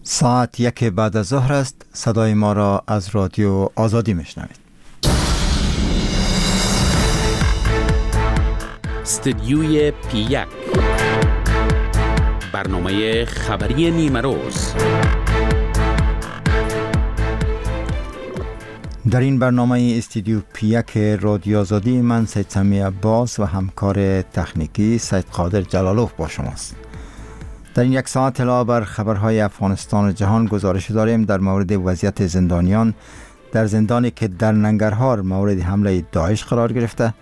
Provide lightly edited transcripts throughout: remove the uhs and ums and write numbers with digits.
ساعت 1 بعد از ظهر است. صدای ما را از رادیو آزادی میشنوید. استدیوی پی 1، برنامه خبری نیمه روز. در این برنامه استودیو پی 1 رادیو آزادی، من سید سمی عباس و همکار تکنیکی سید قادر جلالوف با شماست. در این یک ساعت علاوه بر خبرهای افغانستان و جهان گزارش داریم در مورد وضعیت زندانیان در زندانی که در ننگرهار مورد حمله داعش قرار گرفته،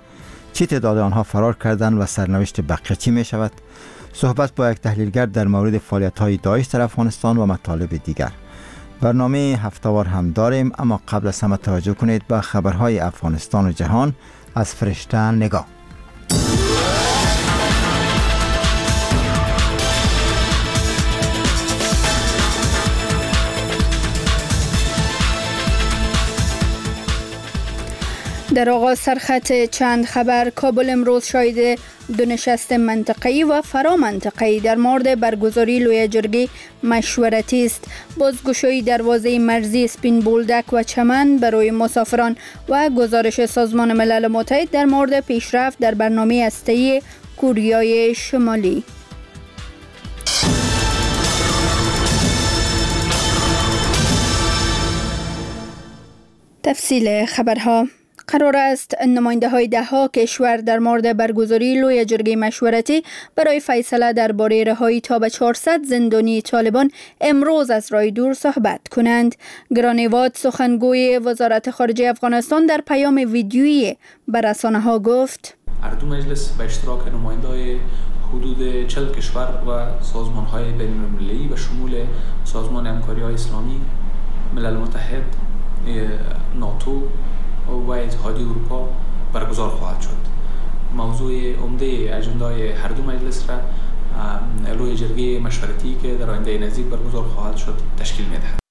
چه تعداد آنها فرار کردند و سرنوشت بقیه چی می شود، صحبت با یک تحلیلگر در مورد فعالیت‌های داعش در افغانستان و مطالب دیگر. برنامه هفته‌وار هم داریم، اما قبل از همه توجه کنید به خبرهای افغانستان و جهان از فرشته نگاه. در آغاز سرخط چند خبر. کابل امروز شاهد دو نشست منطقه‌ای و فرامنطقه‌ای در مورد برگزاری لویه جرگه مشورتی است. بازگشایی دروازه مرزی سپین بولدک و چمن برای مسافران و گزارش سازمان ملل متحد در مورد پیشرفت در برنامه هسته‌ای کوریای شمالی. تفصیل خبرها. قرار است نماینده های ده ها کشور در مورد برگزاری لویه جرگه مشورتی برای فیصله درباره رهایی تا به 400 زندانی طالبان امروز از راه دور صحبت کنند. گرانیواد سخنگوی وزارت خارجه افغانستان در پیام ویدیویی به رسانه ها گفت: هر دو مجلس به اشتراک نماینده های حدود 40 کشور و سازمان های بین المللی به شمول سازمان همکاری های اسلامی، ملل متحد، ناتو و اتحادیه اروپا برگزار خواهد شد. موضوع عمده اجندای هر دو مجلس را لویه جرگه مشورتی که در آینده نزدیک برگزار خواهد شد تشکیل می‌دهد.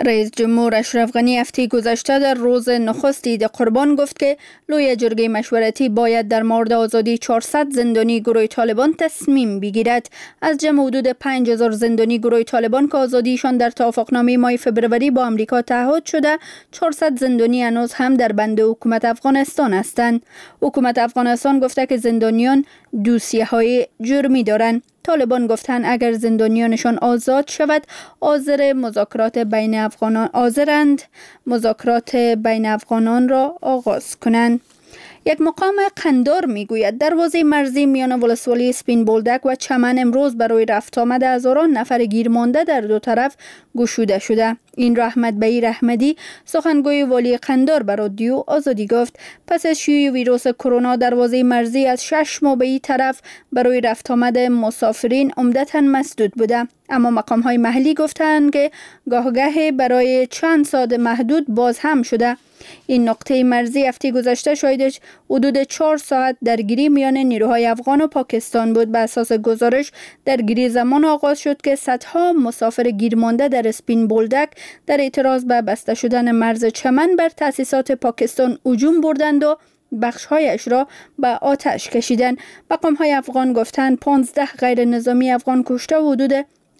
رئیس جمهور اشرف غنی هفته گذشته در روز نخست عید قربان گفت که لویه جرگه مشورتی باید در مورد آزادی 400 زندانی گروه طالبان تصمیم بگیرد. از جمع حدود 5000 زندانی گروه طالبان که آزادیشان در توافقنامه ماه فبروری با آمریکا تعهد شده، 400 زندانی هنوز هم در بند حکومت افغانستان هستند. حکومت افغانستان گفته که زندانیان دوسیه‌های جرمی دارند. طالبان گفتند اگر زندانیانشان آزاد شود حاضر مذاکرات بین افغانان حاضرند مذاکرات بین افغانان را آغاز کنند. یک مقام قندار میگوید دروازه مرزی میان ولسوالی سپین بولدک و چمن امروز برای رفت آمد هزاران نفر گیر مانده در دو طرف گشوده شده. این را احمد بئی رحمدی سخنگوی والی قندار بر رادیو آزادی گفت. پس از شیوع ویروس کرونا دروازه مرزی از 6 ماه به این طرف برای رفت آمد مسافرین عمدتاً مسدود بوده، اما مقام های محلی گفتند که گاهگاه برای چند ساعت محدود باز هم شده. این نقطه مرزی هفته گذشته شاهد حدود 4 ساعت درگیری میان نیروهای افغان و پاکستان بود. به اساس گزارش درگیری زمان آغاز شد که صدها مسافر گیرمانده در اسپین بولدک در اعتراض به بسته شدن مرز چمن بر تأسیسات پاکستان هجوم بردند و بخشهایش را به آتش کشیدند. مقام‌های افغان گفتند 15 غیر نظامی افغان کشته و حدود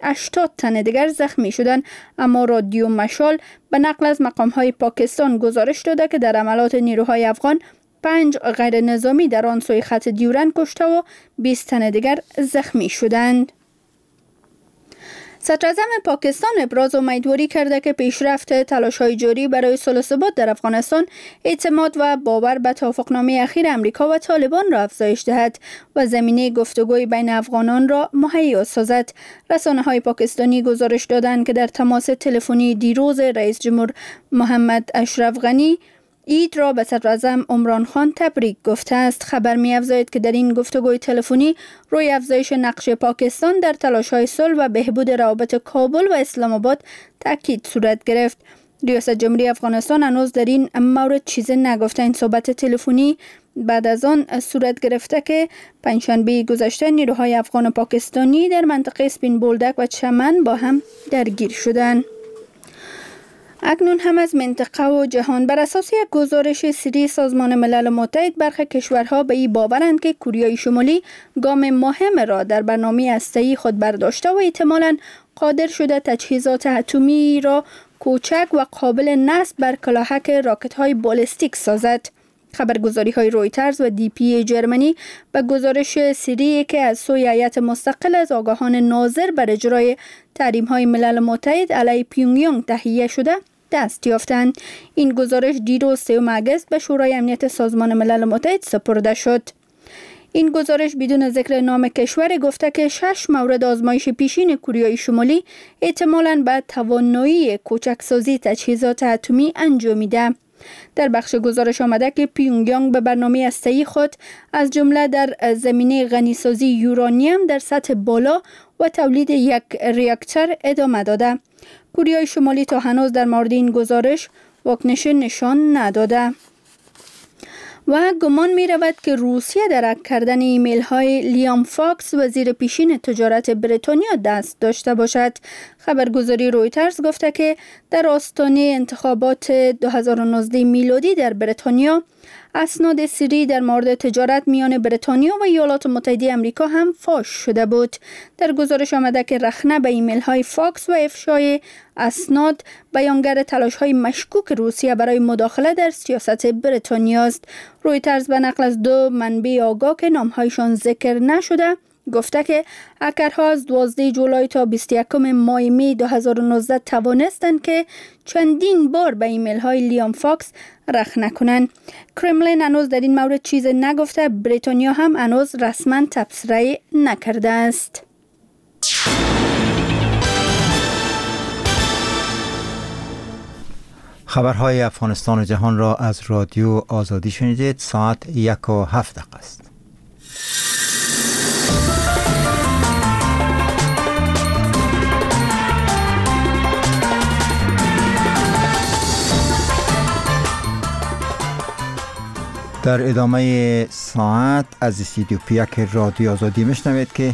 80 تن دیگر زخمی شدند، اما رادیو مشال به نقل از مقام‌های پاکستان گزارش داده که در عملات نیروهای افغان 5 غیر نظامی در آن سوی خط دیورند کشته و 20 تن دیگر زخمی شدند. صدراعظم پاکستان ابراز امیدواری کرده که پیشرفت تلاش‌های جاری برای صلح ثبات در افغانستان اعتماد و باور به توافقنامه اخیر امریکا و طالبان را افزایش دهد و زمینه گفتگوی بین افغانان را مهیا سازد. رسانه‌های پاکستانی گزارش دادند که در تماس تلفنی دیروز رئیس جمهور محمد اشرف غنی عید را به صدراعظم عمران خان تبریک گفته است. خبر می‌افزاید که در این گفتگوی تلفنی روی افزایش نقش پاکستان در تلاش‌های صلح و بهبود روابط کابل و اسلام آباد تاکید صورت گرفت. ریاست جمهوری افغانستان هنوز در این مورد چیزی نگفته. این صحبت تلفنی بعد از آن صورت گرفته که پنجشنبه گذشته نیروهای افغان و پاکستانی در منطقه سپین بولدک و چمن با هم درگیر شدند. اکنون هم از منطقه و جهان. بر اساس یک گزارش سری سازمان ملل متحد، برخی کشورها به این باورند که کوریای شمالی گام مهم را در برنامه هسته‌ای خود برداشته و احتمالاً قادر شده تجهیزات اتمی را کوچک و قابل نصب بر کلاهک راکت‌های بالستیک سازد. خبرگزاری های رویترز و دی پی جرمنی به گزارش سری که از سوی هیئت مستقل از آگاهان ناظر بر اجرای تحریم های ملل متحد علیه پیونگیانگ تهیه شده دست یافتند. این گزارش دیروز 3 اگست به شورای امنیت سازمان ملل متحد سپرده شد. این گزارش بدون ذکر نام کشور گفته که 6 مورد آزمایش پیشین کوریای شمالی احتمالاً به توانایی کوچکسازی تجهیزات اتمی انجامیده. در بخش گزارش آمده که پیونگیانگ به برنامه هسته‌ای خود از جمله در زمینه غنیسازی یورانیم در سطح بالا و تولید یک ریاکتور ادامه داده. کوریای شمالی تا هنوز در مورد این گزارش واکنش نشان نداده. و گمان می رود که روسیه در هک کردن ایمیل های لیام فاکس وزیر پیشین تجارت بریتانیا دست داشته باشد. خبرگزاری رویترز گفته که در آستانه انتخابات 2019 میلادی در بریتانیا اسناد سری در مورد تجارت میان بریتانیا و ایالات متحده آمریکا هم فاش شده بود. در گزارش آمده که رخنه به ایمیل های فاکس و افشای اسناد بیانگر تلاش های مشکوک روسیه برای مداخله در سیاست بریتانیا است. رویترز به نقل از 2 منبع آگاه که نامهایشان ذکر نشده گفته که هکرها از 12 جولای تا 21 ماه می 2019 توانستند که چندین بار به ایمیل های لیام فاکس رخنه کنند. کرملین هنوز در این مورد چیز نگفته، بریتانیا هم هنوز رسما تبصره نکرده است. خبرهای افغانستان و جهان را از رادیو آزادی شنیدید. ساعت 1:07 است. در ادامه ساعت از استودیو پیک رادیو آزادی میشنوید که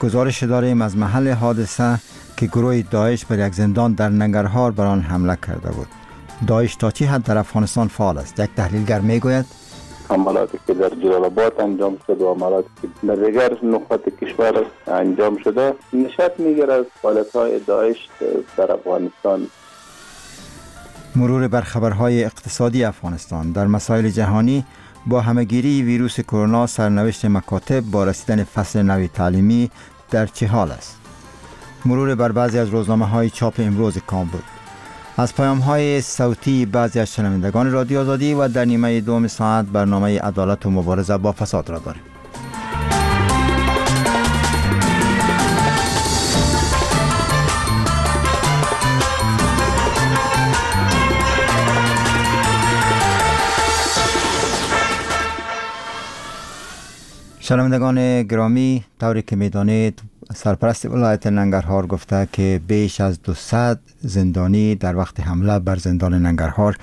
گزارش داریم از محل حادثه که گروه داعش بر یک زندان در ننگرهار بر آن حمله کرده بود. داعش تا چه حد در افغانستان فعال است؟ یک تحلیلگر میگوید حملاتی که در جلال آباد انجام شد و حملاتی که در دیگر نقاط کشور انجام شده نشأت میگیرد از فعالیت‌های داعش در افغانستان. مرور بر خبرهای اقتصادی افغانستان. در مسائل جهانی با همه‌گیری ویروس کرونا سرنوشت مکاتب با رسیدن فصل نو تعلیمی در چه حال است؟ مرور بر بعضی از روزنامه‌های چاپ امروز کابل. از پیام‌های صوتی بعضی از شنوندگان رادیو آزادی و در نیمه دوم ساعت برنامه عدالت و مبارزه با فساد را داریم. شنوندگان گرامی، طوری که می‌دانید سرپرست ولایت ننگرهار گفته که بیش از 200 زندانی در وقت حمله بر زندان ننگرهار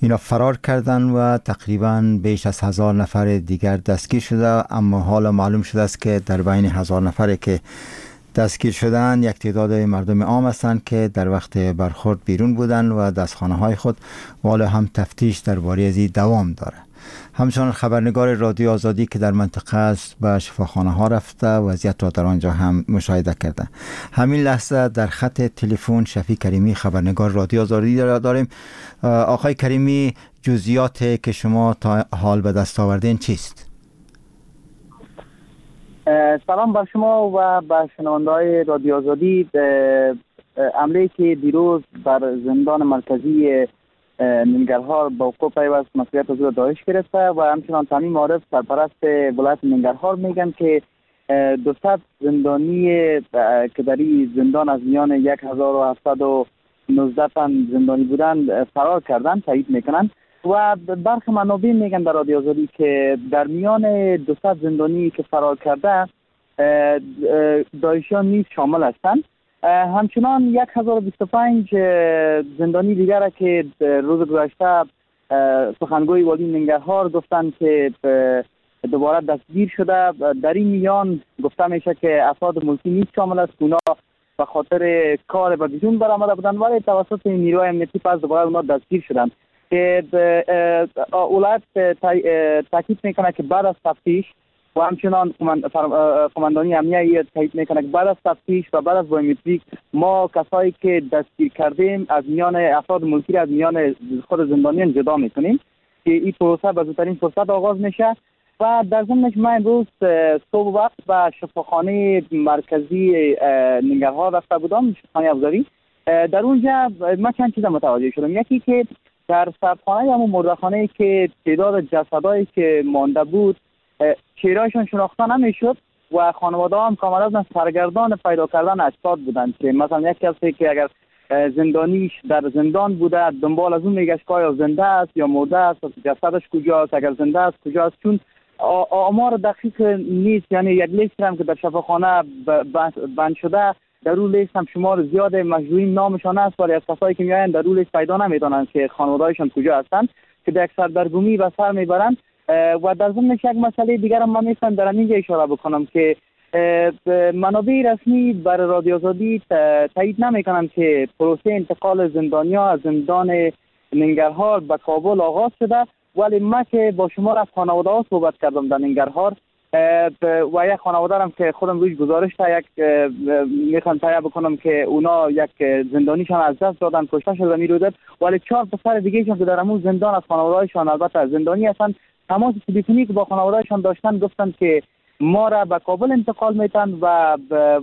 اینا فرار کردن و تقریبا بیش از 1000 نفر دیگر دستگیر شده، اما حالا معلوم شده است که در بین 1000 نفری که دستگیر شدن یک تعداد مردم عام هستند که در وقت برخورد بیرون بودن و دستخانه های خود و حالا هم تفتیش درباره از این دوام داره. همچنان خبرنگار رادیو آزادی که در منطقه است به شفاخانه ها رفته وضعیت را در آنجا هم مشاهده کرده. همین لحظه در خط تلفن شفیع کریمی خبرنگار رادیو آزادی داریم. آقای کریمی، جزئیات که شما تا حال به دست آوردین چیست؟ سلام بر شما و بر شنونده‌های رادیو آزادی. عملی که دیروز بر زندان مرکزی ننگرهار با وقوع پیوست مسئولیت از داعش گرفته و همچنان تامین معارف سرپرست ولایت ننگرهار میگن که 200 زندانی که در این زندان از میان 1719 تن زندانی بودند فرار کردن تایید میکنن و برخی منابع میگن در رادیو آزادی که در میان 200 زندانی که فرار کرده داعشیان نیز شامل هستند. همچنان 1025 زندانی دیگر که روز گذشته سخنگوی والی ننگرهار گفتند که دوباره دستگیر شده، در این میان گفته میشه که افراد ملکی نیز شامل است که اونا به خاطر کار به بیرون برآمده بودند ولی توسط نیروهای امنیتی پس دوباره اونا دستگیر شدند که ولایت تاکید میکنه که بعد از تفتیش و همچنان قماندانی امنیه تایید میکنه که بعد از تفتیش و بعد از بایومتریک ما کسایی که دستگیر کردیم از میان افراد ملکی از میان خود زندانیان جدا میکنیم که این پروسه به زودترین فرصت آغاز میشه. و در ضمن من امروز صبح وقت به شفاخانه مرکزی ننگرهار رفته بودم، شفاخانه افزاری. در اونجا من چند چیز متوجه شدم. یکی که در سردخانه یا مردخانه که تعداد جسدایی که مانده بود چهره‌شان شناخته نمیشد و خانواده هم کاملا سرگردان پیدا کردن اجساد بودند که مثلا یک کسی که اگر زندانیش در زندان بوده دنبال از اون میگشت که آیا زنده است یا مرده است، جسدش کجاست، اگر زنده است کجاست، چون آمار دقیق نیست. یعنی یک لیست هم که در شفاخانه بند شده در اون لیست هم شمار زیاد مجروحین نامشان است، ولی از کسایی که میآیند در اون لیست پیدا نمیدانند که خانواده‌هایشان کجا هستند که به یک سردرگمی به سر میبرند. و در ضمن یک مسئله دیگر هم من میخوام در اینجا اشاره بکنم که منابع رسمی بر رادیو آزادی تایید نمیکنند که پروسه انتقال زندانیا از زندان ننگرهار به کابل آغاز شده، ولی من که با شما از خانواده ها صحبت کردم در ننگرهار و یک خانواده هم که خودم روش گزارش تا یک میخوام تایید بکنم که اونا یک زندانیشان از دست دادن، کشته شده میرودد، ولی 4 پسر دیگه که در همون زندان از خانواده‌هایشان البته زندانی هستند تماس تلفنی که با خانواده‌هایشان داشتن گفتن که ما را به کابل انتقال میتن و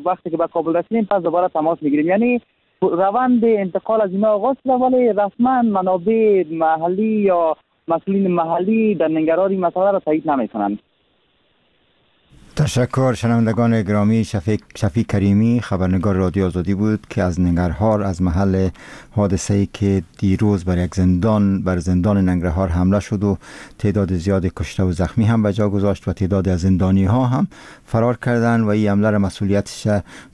وقتی که به کابل رسیدیم پس دوباره تماس میگیریم. یعنی روند انتقال از اینا آغاز شده، ولی رسما منابع محلی یا مسئولین محلی در ننگرهار این مسئله را تایید نمیکنند. تشکر. شنوندگان گرامی، شفیق کریمی خبرنگار رادیو آزادی بود که از ننگرهار، از محل حادثه‌ای که دیروز بر زندان ننگرهار حمله شد و تعداد زیاد کشته و زخمی هم به جا گذاشت و تعداد از زندانی ها هم فرار کردند و این حمله را مسئولیتش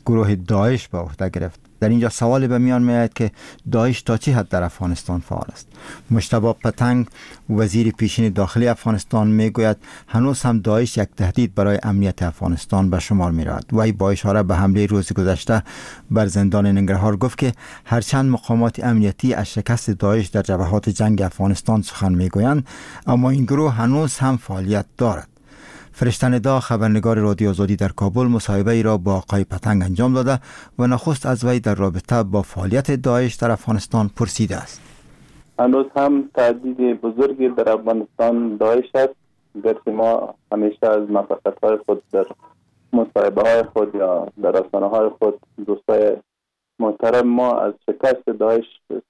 گروه داعش به عهده گرفت. در اینجا سوال به میان میآید که داعش تا چه حد در افغانستان فعال است. مجتبی پتنگ وزیر پیشین داخلی افغانستان میگوید هنوز هم داعش یک تهدید برای امنیت افغانستان به شمار میرود. وی با اشاره به حمله روز گذشته بر زندان ننگرهار گفت که هرچند مقامات امنیتی از شکست داعش در جبهات جنگ افغانستان سخن میگویند، اما این گروه هنوز هم فعالیت دارد. فرشته ندا خبرنگار رادیو آزادی در کابل مصاحبه ای را با آقای پتنگ انجام داده و نخست از وی در رابطه با فعالیت داعش در افغانستان پرسیده است. هنوز هم تهدید بزرگی در افغانستان داعش است. گرچه ما همیشه از موفقیت‌های خود در مصاحبه های خود یا در رسانه های خود دوستای محترم ما از شکست داعش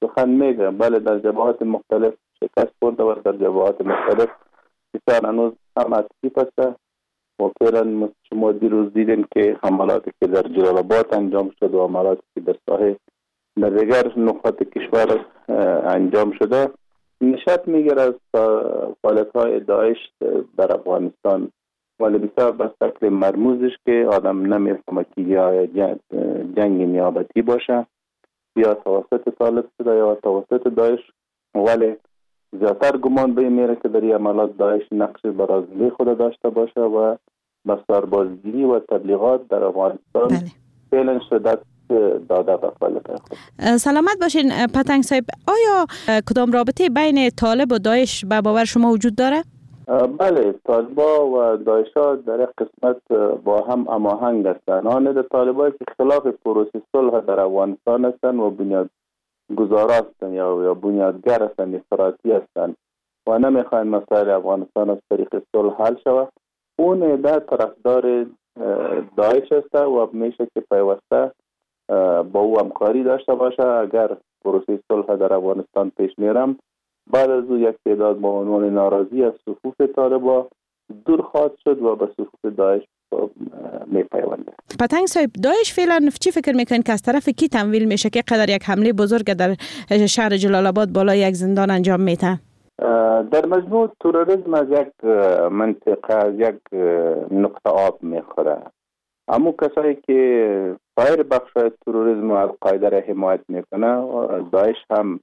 سخن میگه، بله در جبهات مختلف شکست خورده و در جبهات مختلف بسیار هنوز هم اکتیف است. و فعلا شما دیروز دیدین که حملاتی که در جلال آباد انجام شد و حملاتی که در ساحه در دیگر نقاط کشور انجام شده نشأت میگیره از فعالیت‌های داعش در افغانستان، ولی بسیار به شکل مرموزش که آدم نمیفهمه که یا جنگ نیابتی باشه یا توسط طالب شده یا توسط داعش، ولی زیادتر گمان به این میره که در این عملات داعش نقش برازنده خود داشته باشه و به سربازگیری و تبلیغات در افغانستان فعلا شدت داده به فعالیت خود. سلامت باشین پتنگ صاحب. آیا کدام رابطه بین طالب و داعش به باور شما وجود داره؟ بله، طالبا و داعش ها در یک قسمت با هم هماهنگ هستند. آن طالبایی که خلاف پروسه صلح در افغانستان هستند و بنیاد گزار هستند یا بنیادگر هستند، افراطی هستند و نمیخواین مسائل افغانستان از طریق صلح حل شود، اون عده طرفدار داعش است و میشه که پیوسته با او همکاری داشته باشه. اگر پروسه صلح در افغانستان پیش میرم، بعد از او یک تعداد با عنوان ناراضی از صفوف طالبا دور خواهد شد و به صفوف داعش میپیونده. پتنگ صاحب، داعش فعلا چی فکر میکنین که از طرف کی تمویل میشه که قدر یک حمله بزرگ در شهر جلال آباد بالای یک زندان انجام میده؟ در مجموع تروریسم از یک منطقه، از یک نقطه آب میخوره. اما کسایی که سایر بخش‌های تروریسم و القاعده را حمایت میکنه، داعش هم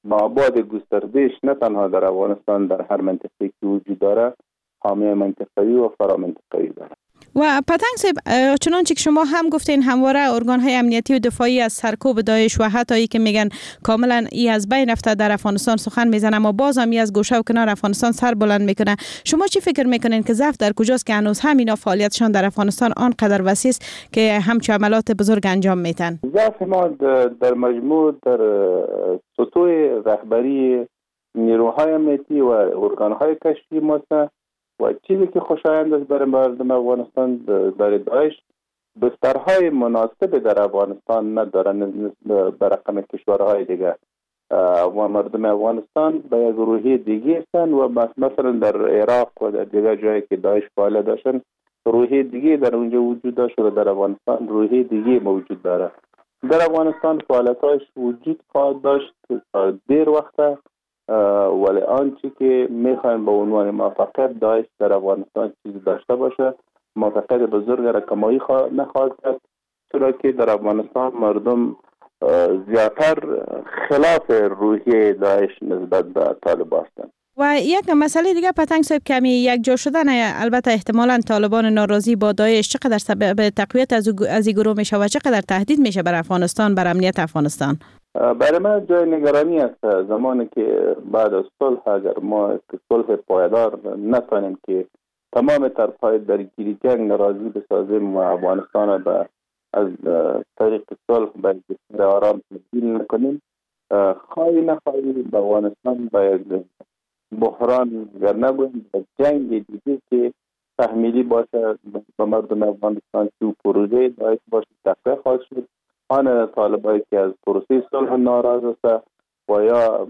با آباد گستردهش نه تنها در افغانستان، در هر منطقه‌ای که وجود داره حامی منطقه‌ای و فرامنطقه‌ای داره. و پتنگ صاحب، چنانچه که شما هم گفتین همواره ارگان‌های امنیتی و دفاعی از سرکوب داعش و حتی ای که میگن کاملا ای از بین رفته در افغانستان سخن میزنه، اما باز هم ای از گوشه و کنار افغانستان سر بلند میکنه. شما چی فکر میکنین که ضعف در کجاست که هنوز هم اینا فعالیتشان در افغانستان آنقدر وسیع است که همچون عملات بزرگ انجام میتن؟ ضعف ما در مجموع در سطوح رهبری نیروهای امنیتی و ارگان‌های کشفی ماست و چیزی که خوشایند است برای مردم افغانستان در داعش بسترهای مناسب در افغانستان ندارن به رقم کشورهای دیگه و مردم افغانستان به یک روحیه دیگه هستند و مثلا در عراق و در دیگر جایی که داعش فعالیت داشتن روحیه دیگه در اونجا وجود داشت و در افغانستان روحیه دیگه موجود داره. در افغانستان فعالیت‌هایش وجود خواهد داشت تا دیر وقت، ولی آنچه که میخوایم به عنوان موفقیت داعش در افغانستان چیزی داشته باشه موفقیت بزرگ را کمایی نخواهد کرد، چرا که در افغانستان مردم زیادتر خلاف روحیه داعش نسبت به طالب هستند. و یک مسئله دیگه پتنگ صاحب، کمی یک جا شدن البته احتمالاً طالبان ناراضی با داعش چقدر سبب تقویت از این گروه میشه و چقدر تهدید میشه بر افغانستان، بر امنیت افغانستان؟ برای من جای نگرانی است زمانی که بعد از صلح اگر ما صلح پایدار نتانیم که تمام طرف‌های درگیری جنگ راضی بسازیم و افغانستان به از طریق صلح به کشور آرام تبدیل نکنیم، خواهی نخواهی به افغانستان باید بحران اگر نگوییم به جنگ دیگه که تحمیلی باشه به مردم افغانستان که پروژه داعش باشه تقویت خواهد شد. آن طالبایی که از پروسه صلح ناراض است و یا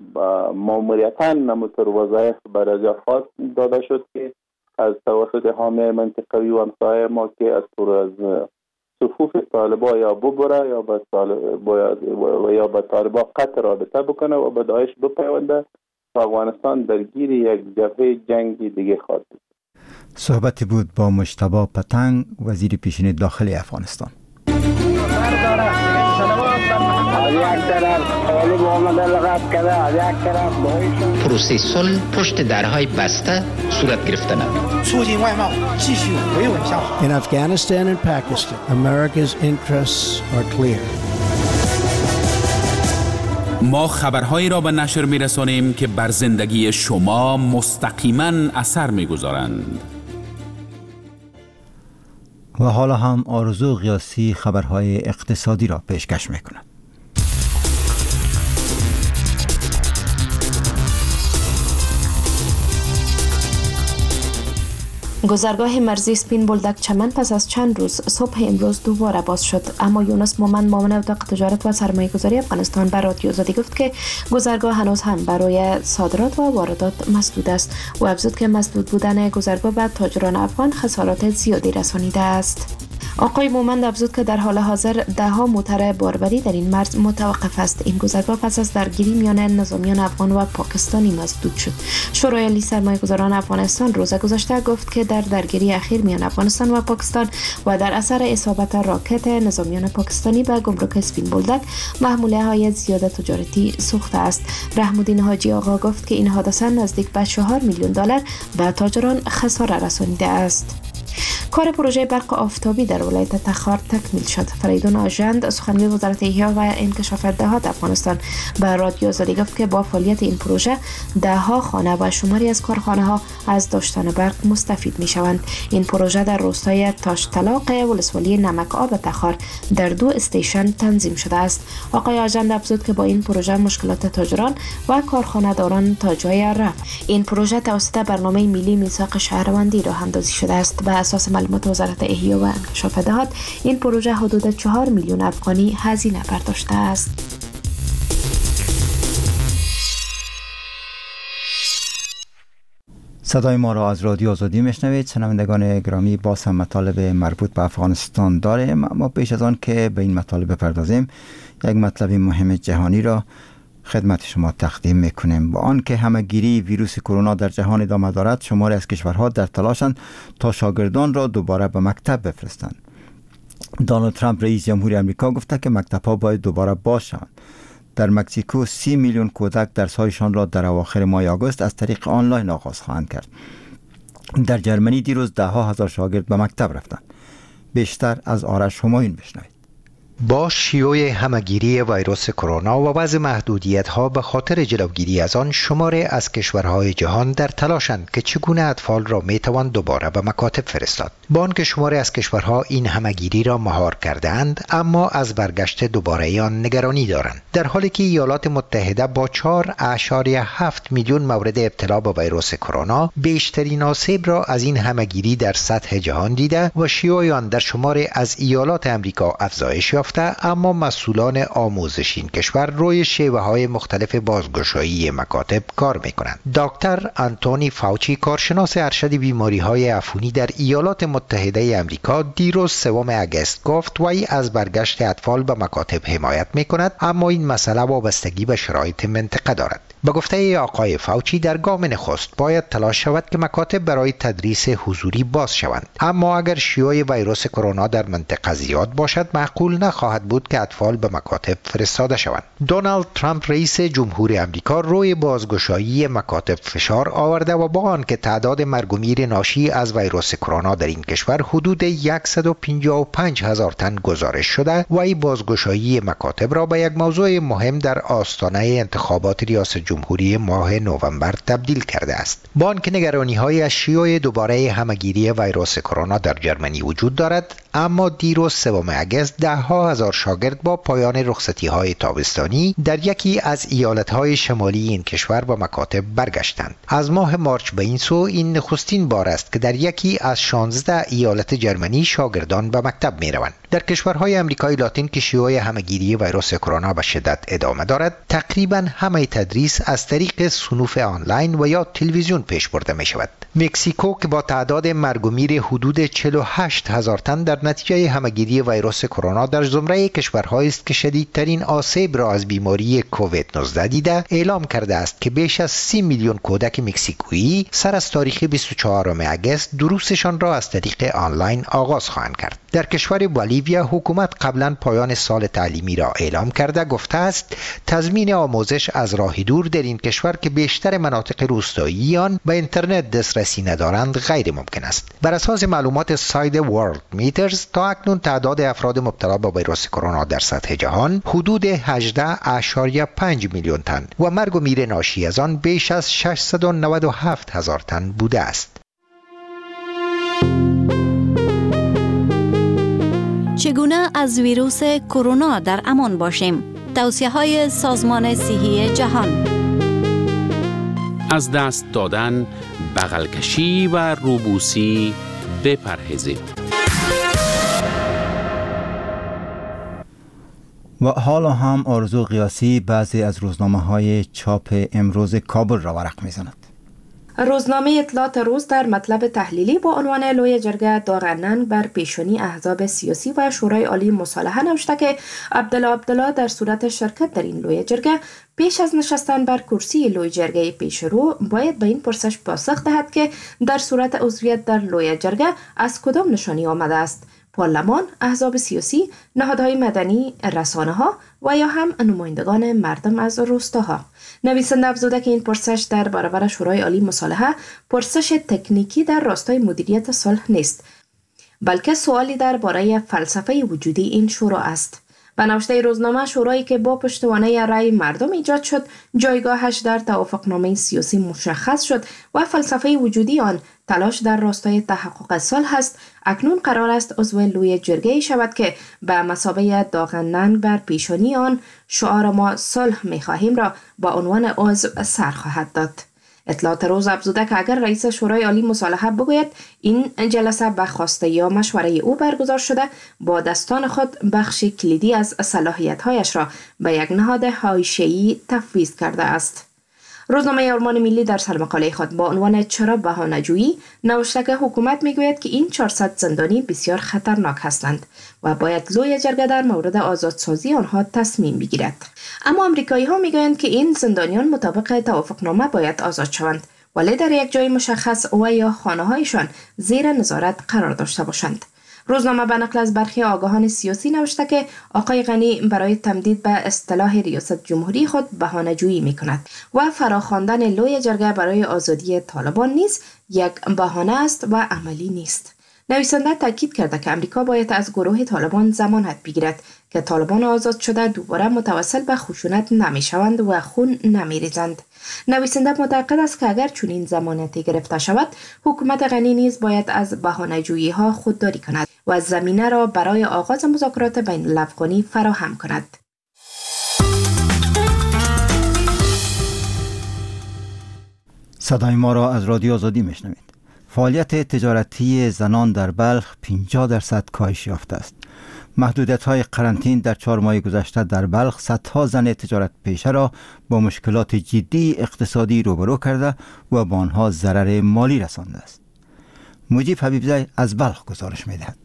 ماموریتاً نموتر وظایف برای خاص داده شد که از توسط حامی منطقوی و همسایه ما که از صفوف طالبا یا ببره یا به یا به طالبا قطع رابطه بکنه و به داعش بپیونده و افغانستان درگیر یک جبهه جنگی دیگه خواهد بود. صحبت بود با مجتبی پتنگ، وزیر پیشین داخلی افغانستان. پروسه صلح پشت درهای بسته صورت گرفته نبود. In Afghanistan and Pakistan, America's interests are clear. ما خبرهایی را به نشر می‌رسانیم که بر زندگی شما مستقیماً اثر می‌گذارند. و حالا هم آرزو غیاثی خبرهای اقتصادی را پیشکش می‌کند. گذرگاه مرزی سپین بولدک چمن پس از چند روز صبح امروز دوباره باز شد، اما یونس مومند معاون اتاق تجارت و سرمایه‌گذاری افغانستان بر رادیو آزادی گفت که گذرگاه هنوز هم برای صادرات و واردات مسدود است و افزود که مسدود بودن گذرگاه به تاجران افغان خسارات زیادی رسانیده است. آقای مومند افزود که در حال حاضر ده‌ها موتر باربری در این مرز متوقف است. این گذرگاه پس از درگیری میان نظامیان افغان و پاکستانی مسدود شد. شورای عالی سرمایه‌گذاران افغانستان روز گذشته گفت که در درگیری اخیر میان افغانستان و پاکستان و در اثر اصابت راکت نظامیان پاکستانی به گمرک سپین بولدک محموله‌های زیاد تجارتی سوخته است. رحم‌الدین حاجی آقا گفت که این حادثه نزدیک به 4 میلیون دلار به تاجران خساره رسانیده است. کار پروژه برق آفتابی در ولایت تخار تکمیل شد. فریدون آژند سخنگوی وزارت احیا و انکشاف دهات افغانستان به رادیو آزادی گفت که با فعالیت این پروژه دهها خانه و شماری از کارخانه ها از داشتن برق مستفید می شوند. این پروژه در روستای تاشتلاق ولسوالی نمک آب تخار در 2 استیشن تنظیم شده است. آقای آژند افزود که با این پروژه مشکلات تاجران و کارخانه داران تا جای رفت. این پروژه توسط برنامه ملی میثاق شهروندی راه اندازی شده است. به اساس معلومات وزارت احیا و انکشاف دهات این پروژه حدود 4 میلیون افغانی هزینه برداشته است. صدای ما را از رادیو آزادی میشنوید. شنوندگان گرامی، باز هم مطالب مربوط به افغانستان داریم، اما پیش از آن که به این مطالب بپردازیم یک مطلب مهم جهانی را خدمت شما تقدیم میکنیم. با آنکه همه‌گیری ویروس کرونا در جهان ادامه دارد، شماری از کشورها در تلاشند تا شاگردان را دوباره به مکتب بفرستند. دونالد ترامپ رئیس جمهوری آمریکا گفته که مکتب‌ها باید دوباره باز شوند. در مکزیکو 30 میلیون کودک درس‌هایشان را در اواخر ماه آگوست از طریق آنلاین آغاز خواهند کرد. در جرمنی دیروز ده‌ها هزار شاگرد به مکتب رفتند. بیشتر از آرش همایون بشنوید. با شیوع همه‌گیری ویروس کرونا و وضع محدودیت‌ها به خاطر جلوگیری از آن، شماری از کشورهای جهان در تلاشند که چگونه اطفال را میتوان دوباره به مکاتب فرستاد. با آنکه شماری از کشورها این همه‌گیری را مهار کرده‌اند، اما از برگشت دوباره آن نگرانی دارند. در حالی که ایالات متحده با 4.7 میلیون مورد ابتلا به ویروس کرونا بیشترین آسیب را از این همه‌گیری در سطح جهان دیده و شیوع آن در شماری از ایالات آمریکا افزایش یافت، اما مسئولان آموزش این کشور روی شیوه های مختلف بازگشایی مکاتب کار میکنند. دکتر آنتونی فاوچی، کارشناس ارشد بیماری های عفونی در ایالات متحده آمریکا، دیروز 3 اگست گفت وی از برگشت اطفال به مکاتب حمایت میکند، اما این مسئله وابستگی به شرایط منطقه دارد. به گفته آقای فاوچی، در گام نخست باید تلاش شود که مکاتب برای تدریس حضوری باز شوند، اما اگر شیوع ویروس کرونا در منطقه زیاد باشد، معقول نخواهد بود که اطفال به مکاتب فرستاده شوند. دونالد ترامپ، رئیس جمهور آمریکا، روی بازگشایی مکاتب فشار آورده و با آنکه تعداد مرگ و میر ناشی از ویروس کرونا در این کشور حدود 155 هزار تن گزارش شده، و این بازگشایی مکاتب را به یک موضوع مهم در آستانه انتخابات ریاست جمهوری ماه نوامبر تبدیل کرده است. با آنکه نگرانی‌های از شیوع دوباره همه‌گیری ویروس کرونا در جرمنی وجود دارد، اما دیروز 3 اگست ده‌ها هزار شاگرد با پایان رخصتی‌های تابستانی در یکی از ایالت‌های شمالی این کشور به مکاتب برگشتند. از ماه مارچ به این سو این نخستین بار است که در یکی از 16 ایالت جرمنی شاگردان به مکتب می‌روند. در کشورهای آمریکای لاتین که شیوع همه‌گیری ویروس کرونا به شدت ادامه دارد، تقریباً همه تدریس از طریق صنوف آنلاین و یا تلویزیون پیش برده می شود. مکزیکو که با تعداد مرگ و میر حدود 48 هزار تن در نتیجه همه‌گیری ویروس کرونا در زمره کشورهایی است که شدیدترین آسیب را از بیماری کووید 19 دیده، اعلام کرده است که بیش از 30 میلیون کودک مکزیکویی سر از تاریخ 24 اگست دروسشان را از طریق آنلاین آغاز خواهند کرد. در کشور بولیویا حکومت قبلا پایان سال تعلیمی را اعلام کرده، گفته است تضمین آموزش از راه دور در این کشور که بیشتر مناطق روستایی آن به اینترنت دسترسی ندارند غیر ممکن است. بر اساس معلومات سایت ورلد میترز، تا اکنون تعداد افراد مبتلا به ویروس کرونا در سطح جهان حدود 18.5 میلیون تن و مرگ و میر ناشی از آن بیش از 697 هزار تن بوده است. چگونه از ویروس کرونا در امان باشیم؟ توصیه‌های سازمان صحی جهان. از دست دادن، بغلکشی و روبوسی بپرهیزید. و حالا هم آرزو قیاسی بعضی از روزنامه‌های چاپ امروز کابل را ورق می‌زند. روزنامه اطلاعات روز در مطلب تحلیلی با عنوان لوی جرگه داغ ننگ بر پیشانی احزاب سیاسی و شورای عالی مصالحه نوشته که عبدالله عبدالله در صورت شرکت در این لوی جرگه پیش از نشستن بر کرسی لوی جرگه پیشرو باید به این پرسش پاسخ دهد که در صورت عضویت در لوی جرگه از کدام نشانی آمده است: پارلمان، احزاب سیاسی، نهادهای مدنی، رسانه‌ها و یا هم نمایندگان مردم از روستاها. نویسنده افزوده که این پرسش در برابر شورای عالی مصالحه پرسش تکنیکی در راستای مدیریت صلح نیست، بلکه سوالی درباره فلسفه وجودی این شورا است. به نوشته روزنامه، شورایی که با پشتوانه رأی مردم ایجاد شد، جایگاهش در توافقنامه سیاسی مشخص شد و فلسفه وجودی آن تلاش در راستای تحقق صلح است، اکنون قرار است عضو لوی جرگه شود که به مثابه داغ ننگ بر پیشانی آن شعار ما صلح می‌خواهیم را با عنوان عضو سر خواهد داد. اطلاعات روز افزوده که اگر رئیس شورای عالی مصالحه بگوید این جلسه به خواسته یا مشوره او برگزار شده، با دستان خود بخش کلیدی از صلاحیت‌هایش را به یک نهاد حاشیه‌ای تفویض کرده است. روزنامه آرمان ملی در سرمقاله خود با عنوان چرا بهانه‌جویی نوشته که حکومت میگوید که این 400 زندانی بسیار خطرناک هستند و باید لوی جرگه در مورد آزادسازی آنها تصمیم بگیرد. اما آمریکایی ها میگویند که این زندانیان مطابق توافقنامه باید آزاد شوند، ولی در یک جای مشخص و یا خانه هایشان زیر نظارت قرار داشته باشند. روزنامه به نقل از برخی آگاهان سیاسی نوشته که آقای غنی برای تمدید به اصطلاح ریاست جمهوری خود بهانه‌جویی می‌کند و فراخواندن لوی جرگه برای آزادی طالبان نیز یک بهانه است و عملی نیست. نویسنده تاکید کرده که امریکا باید از گروه طالبان ضمانت بگیرد که طالبان آزاد شده دوباره متوسل به خشونت نمیشوند و خون نمیریزند. نویسنده معتقد است که اگر چنین ضمانتی گرفته شود، حکومت غنی نیز باید از بهانه‌جویی ها خودداری کند و زمینه را برای آغاز مذاکرات بین الافغانی فراهم کند. صدای ما را از رادیو آزادی میشنوید. فعالیت تجارتی زنان در بلخ 50% کاهش یافته است. محدودیت‌های قرنطین در 4 ماه گذشته در بلخ صدها زن تجارت پیشه را با مشکلات جدی اقتصادی روبرو کرده و با آنها ضرر مالی رسانده است. مجیب حبیبزی از بلخ گزارش می‌دهد.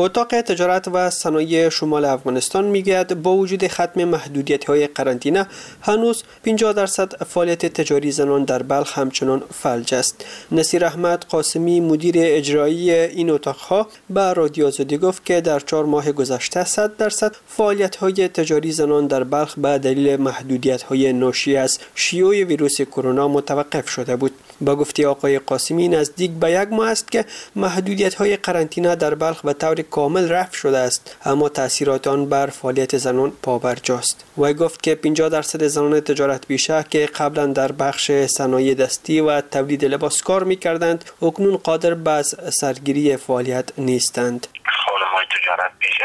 اتاق تجارت و صنایع شمال افغانستان میگوید با وجود ختم محدودیت‌های قرنطینه هنوز 50% فعالیت تجاری زنان در بلخ همچنان فلج است. نصیر احمد قاسمی مدیر اجرایی این اتاقها به رادیو آزادی گفت که در 4 ماه گذشته 100% فعالیت‌های تجاری زنان در بلخ به دلیل محدودیت‌های ناشی از شیوع ویروس کرونا متوقف شده بود. با گفته آقای قاسمی نزدیک به 1 ماه است که محدودیت‌های قرنطینه در بلخ به طور کامل رفع شده است، اما تاثیرات آن بر فعالیت زنان پابرجاست. وی گفت که 50% زنان تجارت پیشه که قبلا در بخش صنایع دستی و تولید لباس کار می‌کردند، اکنون قادر به سرگیری فعالیت نیستند. خانم‌های تجارت پیشه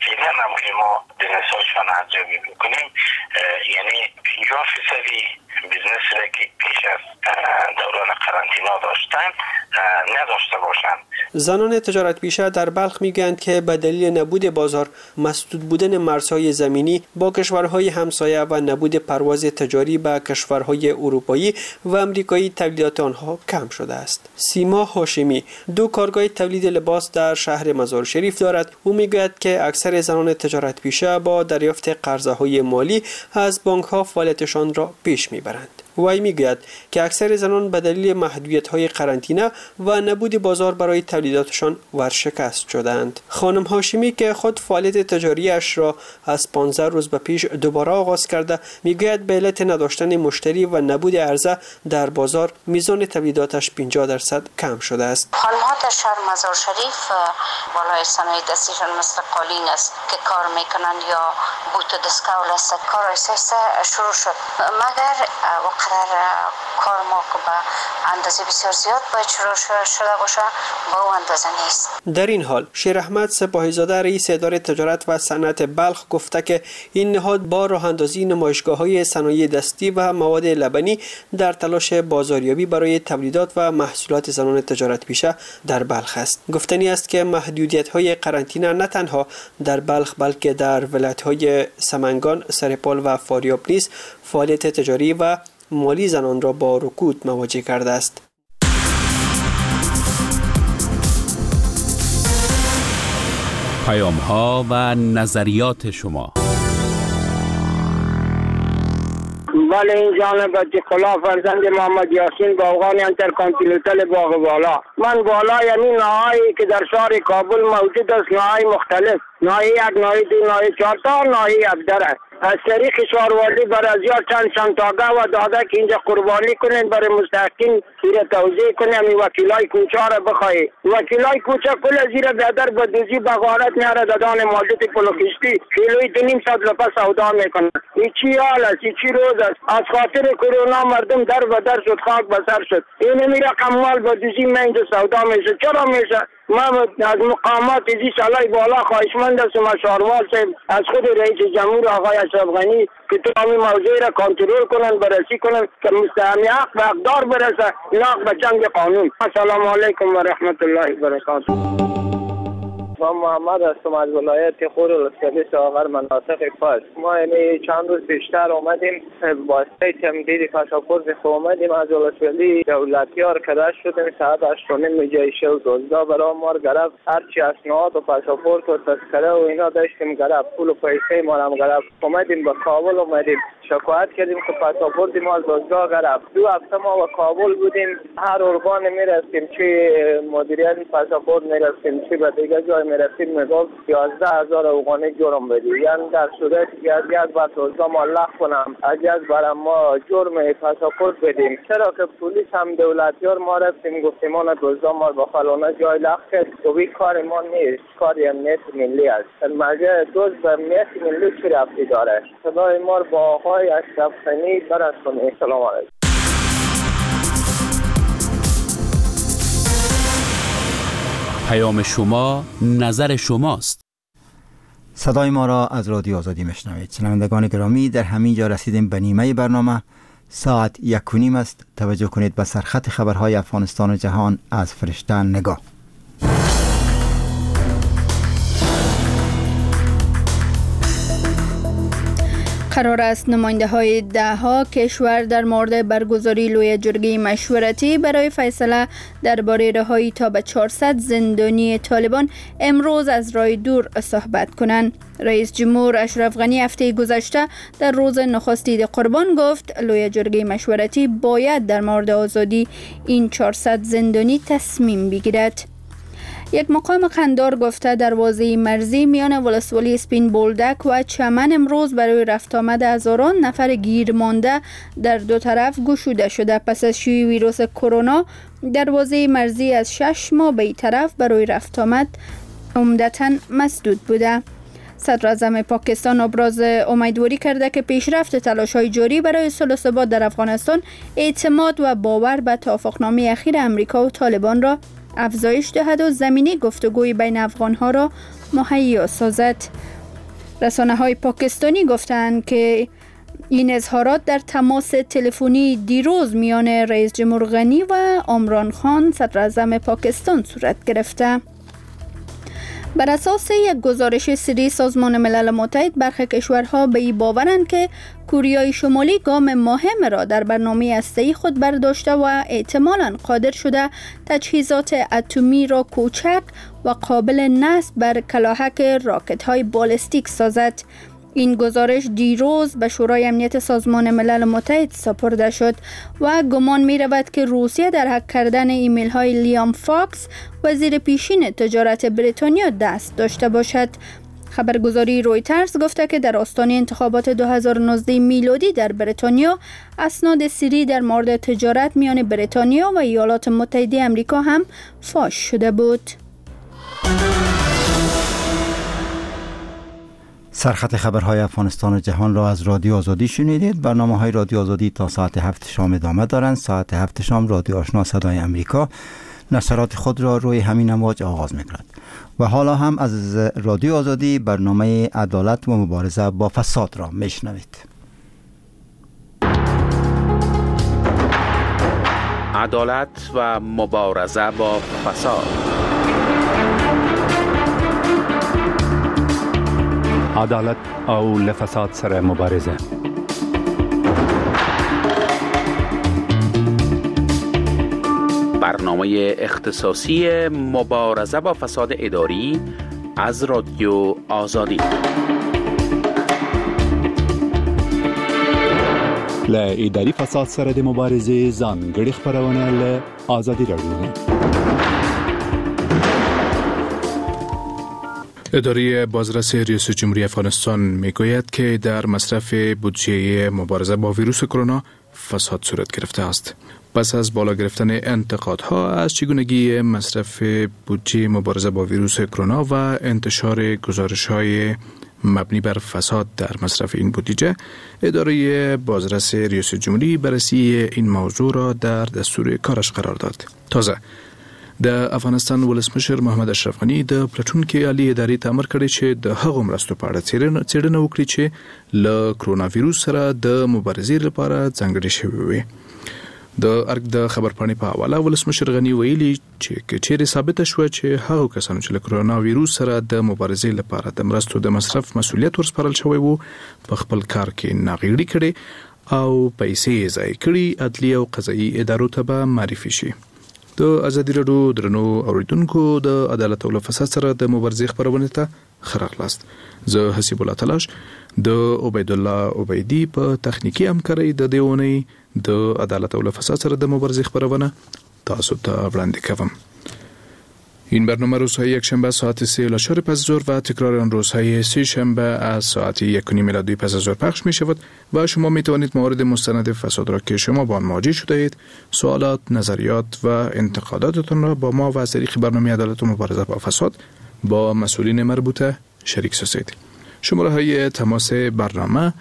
فعلا هم که ما business هایشان ارزیابی بکنیم، یعنی 50% business را که پیش از دوران قرنطینه داشتن نداشته باشند. زنان تجارت پیشه در بلخ میگویند که به دلیل نبود بازار، مسدود بودن مرزهای زمینی با کشورهای همسایه و نبود پرواز تجاری به کشورهای اروپایی و امریکایی تولیدات آنها کم شده است. سیما هاشمی 2 کارگاه تولید لباس در شهر مزار شریف دارد. او میگوید که اکثر زنان تجارت پیشه با دریافت قرضه‌های مالی از بانک‌ها فعالیتشان را پیش میبرند. وی میگوید که اکثر زنان به دلیل محدودیت‌های قرنطینه و نبود بازار برای تولیداتشان ورشکست شدند. خانم هاشمی که خود فعالیت تجاریش را از 15 روز به پیش دوباره آغاز کرده، میگوید به علت نداشتن مشتری و نبود عرضه در بازار میزان تولیداتش 50% کم شده است. خانم‌ها در شهر مزار شریف بالای صنایع دستیشان مثل قالین است که کار میکنند یا بوت دسکول است، کار آهسته شروع شد، مگر قرار کار ما که به اندازه بسیار زیاد باید شروع شده باشه با او اندازه نیست. در این حال شیر احمد سپاهی‌زاده رئیس اداره تجارت و صنعت بلخ گفته که این نهاد با راه اندازی نمایشگاه‌های صنایع دستی و مواد لبنی در تلاش بازاریابی برای تولیدات و محصولات زنان تجارت پیشه در بلخ است. گفتنی است که محدودیت‌های قرنطینه نه تنها در بلخ بلکه در ولایت‌های سمنگان، سرپل و فاریاب نیز فعالیت تجاری و مالی زنان را با رکود مواجه کرده است. پیام ها و نظریات شما. بله این جانب خلا فرزند محمد یاسین باغان انترکانتیننتال باغ بالا. من بالا یعنی ناهایی که در شهر کابل موجود است، ناهای مختلف، ناحیه 1، ناحیه 2، ناحیه 4 تا ناحیه 17 از طریق شاروالی بر از یا چند چندتاگه و داده که اینجا قربانی کنین برای مستحقین زیر توزیع کنین. همین وکیلای کوچه را بخواهی، وکیلای کوچه کل زیر بیادر با دوزی بغارت میاره دادان مالت پلوکشتی کیلوی 2.5 روپه سودا میکنه. این چی حال است؟ این چی روز است؟ از خاطر کرونا مردم در به در شد، خاک به سر شد. این می رقم مال با دوزی من اینجا سودا میشه. چرا میشه؟ ما از مقامات زی سالای بالا خواهشمند هستم، از شاروال صاحب، از خود رئیس جمهور آقای اشرف غنی که تو همین موضوع را کنترل کنن، بررسی کنن که مستحق حق به حقدار برسه، نه به چنگ قانون. السلام علیکم و رحمت الله و برکاته. من محمد هستم از ولایت خور ولسوالی ساغر مناطق پاس. ما یعنی چند روز بیشتر اومدیم واسطه تمدید پاسپورت خود اومدیم از ولسوالی دولتیار که رد شدیم ساعت 8:30 جایشه و 12 برای ما گرفت. هرچی اسناد و پاسپورت و تذکره و اینا داشتیم گرفت، پول و پیسه ما هم گرفت. اومدیم به کابل اومدیم شکایت کردیم که پاسپورت ما از دادگاه گرفت. 2 هفته ما به کابل بودیم، هر ارگان میرفتیم، چه مدیریت پاسپورت میرفتیم چه به دیگه جای میرفتیم میگفت 11000 افغانی جرم بدی، یعنی در صورتی که از یک بار دزدا ما لغو کنم، از یک بار ما جرم پاسپورت بدیم. چرا که پلیس هم دولتیار ما رفتیم گفتیم آن دزدا ما با فلانه جای لغو کرد، گفت کار ما نیست، کار امنیت ملی است. مگه دزد به امنیت ملی چه ربطی داره؟ صدای ما با آقای اشرف غنی برسونید. سلام علیکم. پیام شما نظر شماست. صدای ما را از رادیو آزادی میشنوید. شنوندگان گرامی، در همین جا رسیدیم به نیمه برنامه. ساعت 1:30 است. توجه کنید به سرخط خبرهای افغانستان و جهان از فرشته نگاه. قرار است نماینده های 10 کشور در مورد برگزاری لویه جرگه مشورتی برای فیصله درباره رهایی تا به 400 زندانی طالبان امروز از راه دور صحبت کنند. رئیس جمهور اشرف غنی هفته گذشته در روز نخست عید قربان گفت لویه جرگه مشورتی باید در مورد آزادی این 400 زندانی تصمیم بگیرد. یک مقام قندار گفته دروازه مرزی میان ولسوالی سپین بولدک و چمن امروز برای رفت آمد هزاران نفر گیر مانده در دو طرف گشوده شده. پس از شیوع ویروس کرونا دروازه مرزی از 6 ماه به این طرف برای رفت آمد عمدتاً مسدود بوده. صدر اعظم پاکستان ابراز امیدواری کرده که پیشرفت تلاش‌های جاری برای صلح و ثبات در افغانستان اعتماد و باور به توافقنامه اخیر امریکا و طالبان را افزایش دهد و زمینه گفتگوی بین افغانها را مهیا سازد. رسانه‌های پاکستانی گفتند که این اظهارات در تماس تلفنی دیروز میان رئیس جمهور غنی و عمران خان صدر اعظم پاکستان صورت گرفته. بر اساس یک گزارش سری سازمان ملل متحد، برخی کشورها به این باورند که کوریای شمالی گام مهم را در برنامه هسته‌ای خود برداشته و احتمالاً قادر شده تجهیزات اتمی را کوچک و قابل نصب بر کلاهک راکت‌های بالستیک سازد. این گزارش دیروز به شورای امنیت سازمان ملل متحد سپرده شد و گمان می رود که روسیه در هک کردن ایمیل های لیام فاکس وزیر پیشین تجارت بریتانیا دست داشته باشد. خبرگزاری رویترز گفته که در آستانه انتخابات 2019 میلادی در بریتانیا اسناد سری در مورد تجارت میان بریتانیا و ایالات متحده آمریکا هم فاش شده بود. سرخط خبرهای افغانستان و جهان را از رادیو آزادی شنیدید. برنامه‌های رادیو آزادی تا ساعت 7 شام ادامه دارند. ساعت 7 شام رادیو آشنا صدای امریکا نشرات خود را روی همین امواج آغاز می‌کند. و حالا هم از رادیو آزادی برنامه عدالت و مبارزه با فساد را میشنوید. عدالت و مبارزه با فساد. عدالت او له فساد سره مبارزه. برنامه اختصاصی مبارزه با فساد اداری از رادیو آزادی. له اداري فساد سره د مبارزې ځانګړې خپرونه له ازادي راډیو. اداره بازرس ریاست جمهوری افغانستان میگوید که در مصرف بودجه مبارزه با ویروس کرونا فساد صورت گرفته است. پس از بالا گرفتن انتقادها از چگونگی مصرف بودجه مبارزه با ویروس کرونا و انتشار گزارش‌های مبنی بر فساد در مصرف این بودجه، اداره بازرس ریاست جمهوری بررسی این موضوع را در دستور کارش قرار داد. تازه د افغانستان ولسمشر محمد اشرف غني د پلټونکي عالي ادارې ته امر کړی چې د هغو مرستو په اړه څېړنه وکړي چې له کرونا ویروس سره د مبارزې لپاره ځانګړې شوې وي. د ارګ د خبرپاڼې په حواله ولسمشر غني ویلي چې که چیرې ثابته شوه چې هغو کسانو چې له کرونا ویروس سره د مبارزې لپاره د مرستو د مصرف مسولیت ورسپارل شوی وو، په خپل کار کې ناغېړي کړې او پیسې یې ضایع کړي، عدلي او قضایي ادارو ته به معرفي شي. د ازادي راډیو درنو اوریدونکو، د عدالت او له فساد سره د مبارزې خپرونې ته ښه راغلاست. زه حسیب الله تلاش د عبیدالله عبیدي په تخنیکي همکارۍ د دې اونۍ د عدالت او له فساد سره د مبارزې خپرونه تاسو ته وړاندې کوم. این برنامه روزهای یکشنبه ساعت 3 الی 4 پس از ظهر و تکرار آن روزهای سه شنبه از ساعت 1:30 الی 2 پس از ظهر پخش می شود و شما می توانید موارد مستند فساد را که شما با آن مواجه شده اید، سوالات، نظریات و انتقاداتتان را با ما و از طریق برنامه عدالت و مبارزه با فساد با مسئولین مربوطه شریک سازید. شماره های تماس برنامه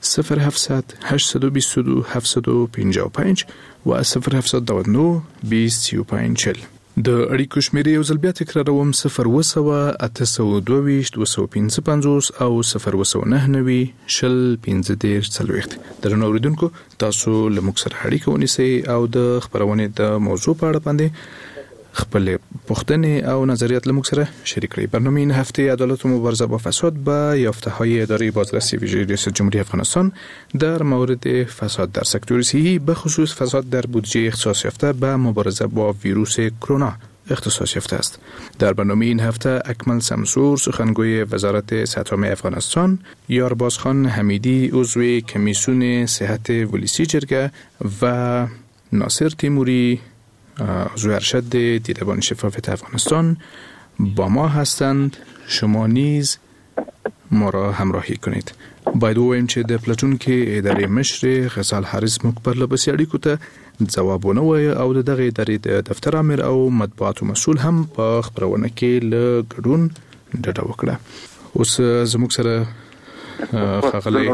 0700 822 755 و 0799 20 35 40. د اړیکو شمیرې یو ځل بیا تکراروم 0700 822 255 او 0799 شل 15 40. درنو اوریدونکو، تاسو له موږ سره اړیکه ونیسئ او د خپرونې د موضوع په اړه باندې خپل پوښتنې او نظریات له موږ سره شریک کړئ. برنامه این هفته عدالت و مبارزه با فساد با یافته‌های اداره بازرسی ویژه ریاست جمهوری افغانستان در مورد فساد در سکتور صحی، به خصوص فساد در بودجه اختصاص یافته به مبارزه با ویروس کرونا اختصاص یافته است. در برنامه این هفته اکمل سمسور، سخنگوی وزارت صحت عامه افغانستان، یارباز خان حمیدی، عضو کمیسیون صحت ولسی جرگه و ناصر تیموری، عضو ارشد دیدبان شفافیت افغانستان با ما هستند. شما نیز ما را همراهی کنید. باید ووایم چې د پلټونکي ادارې مشرې غزال حارث موږ پرله پسې اړیکو ته ځواب ونه وایه او د دغې ادارې د دفتر امر او مطبوعاتو مسؤل هم په خپرونه کې له ګډون ډډه وکړه. اوس زموږ سره ښاغلی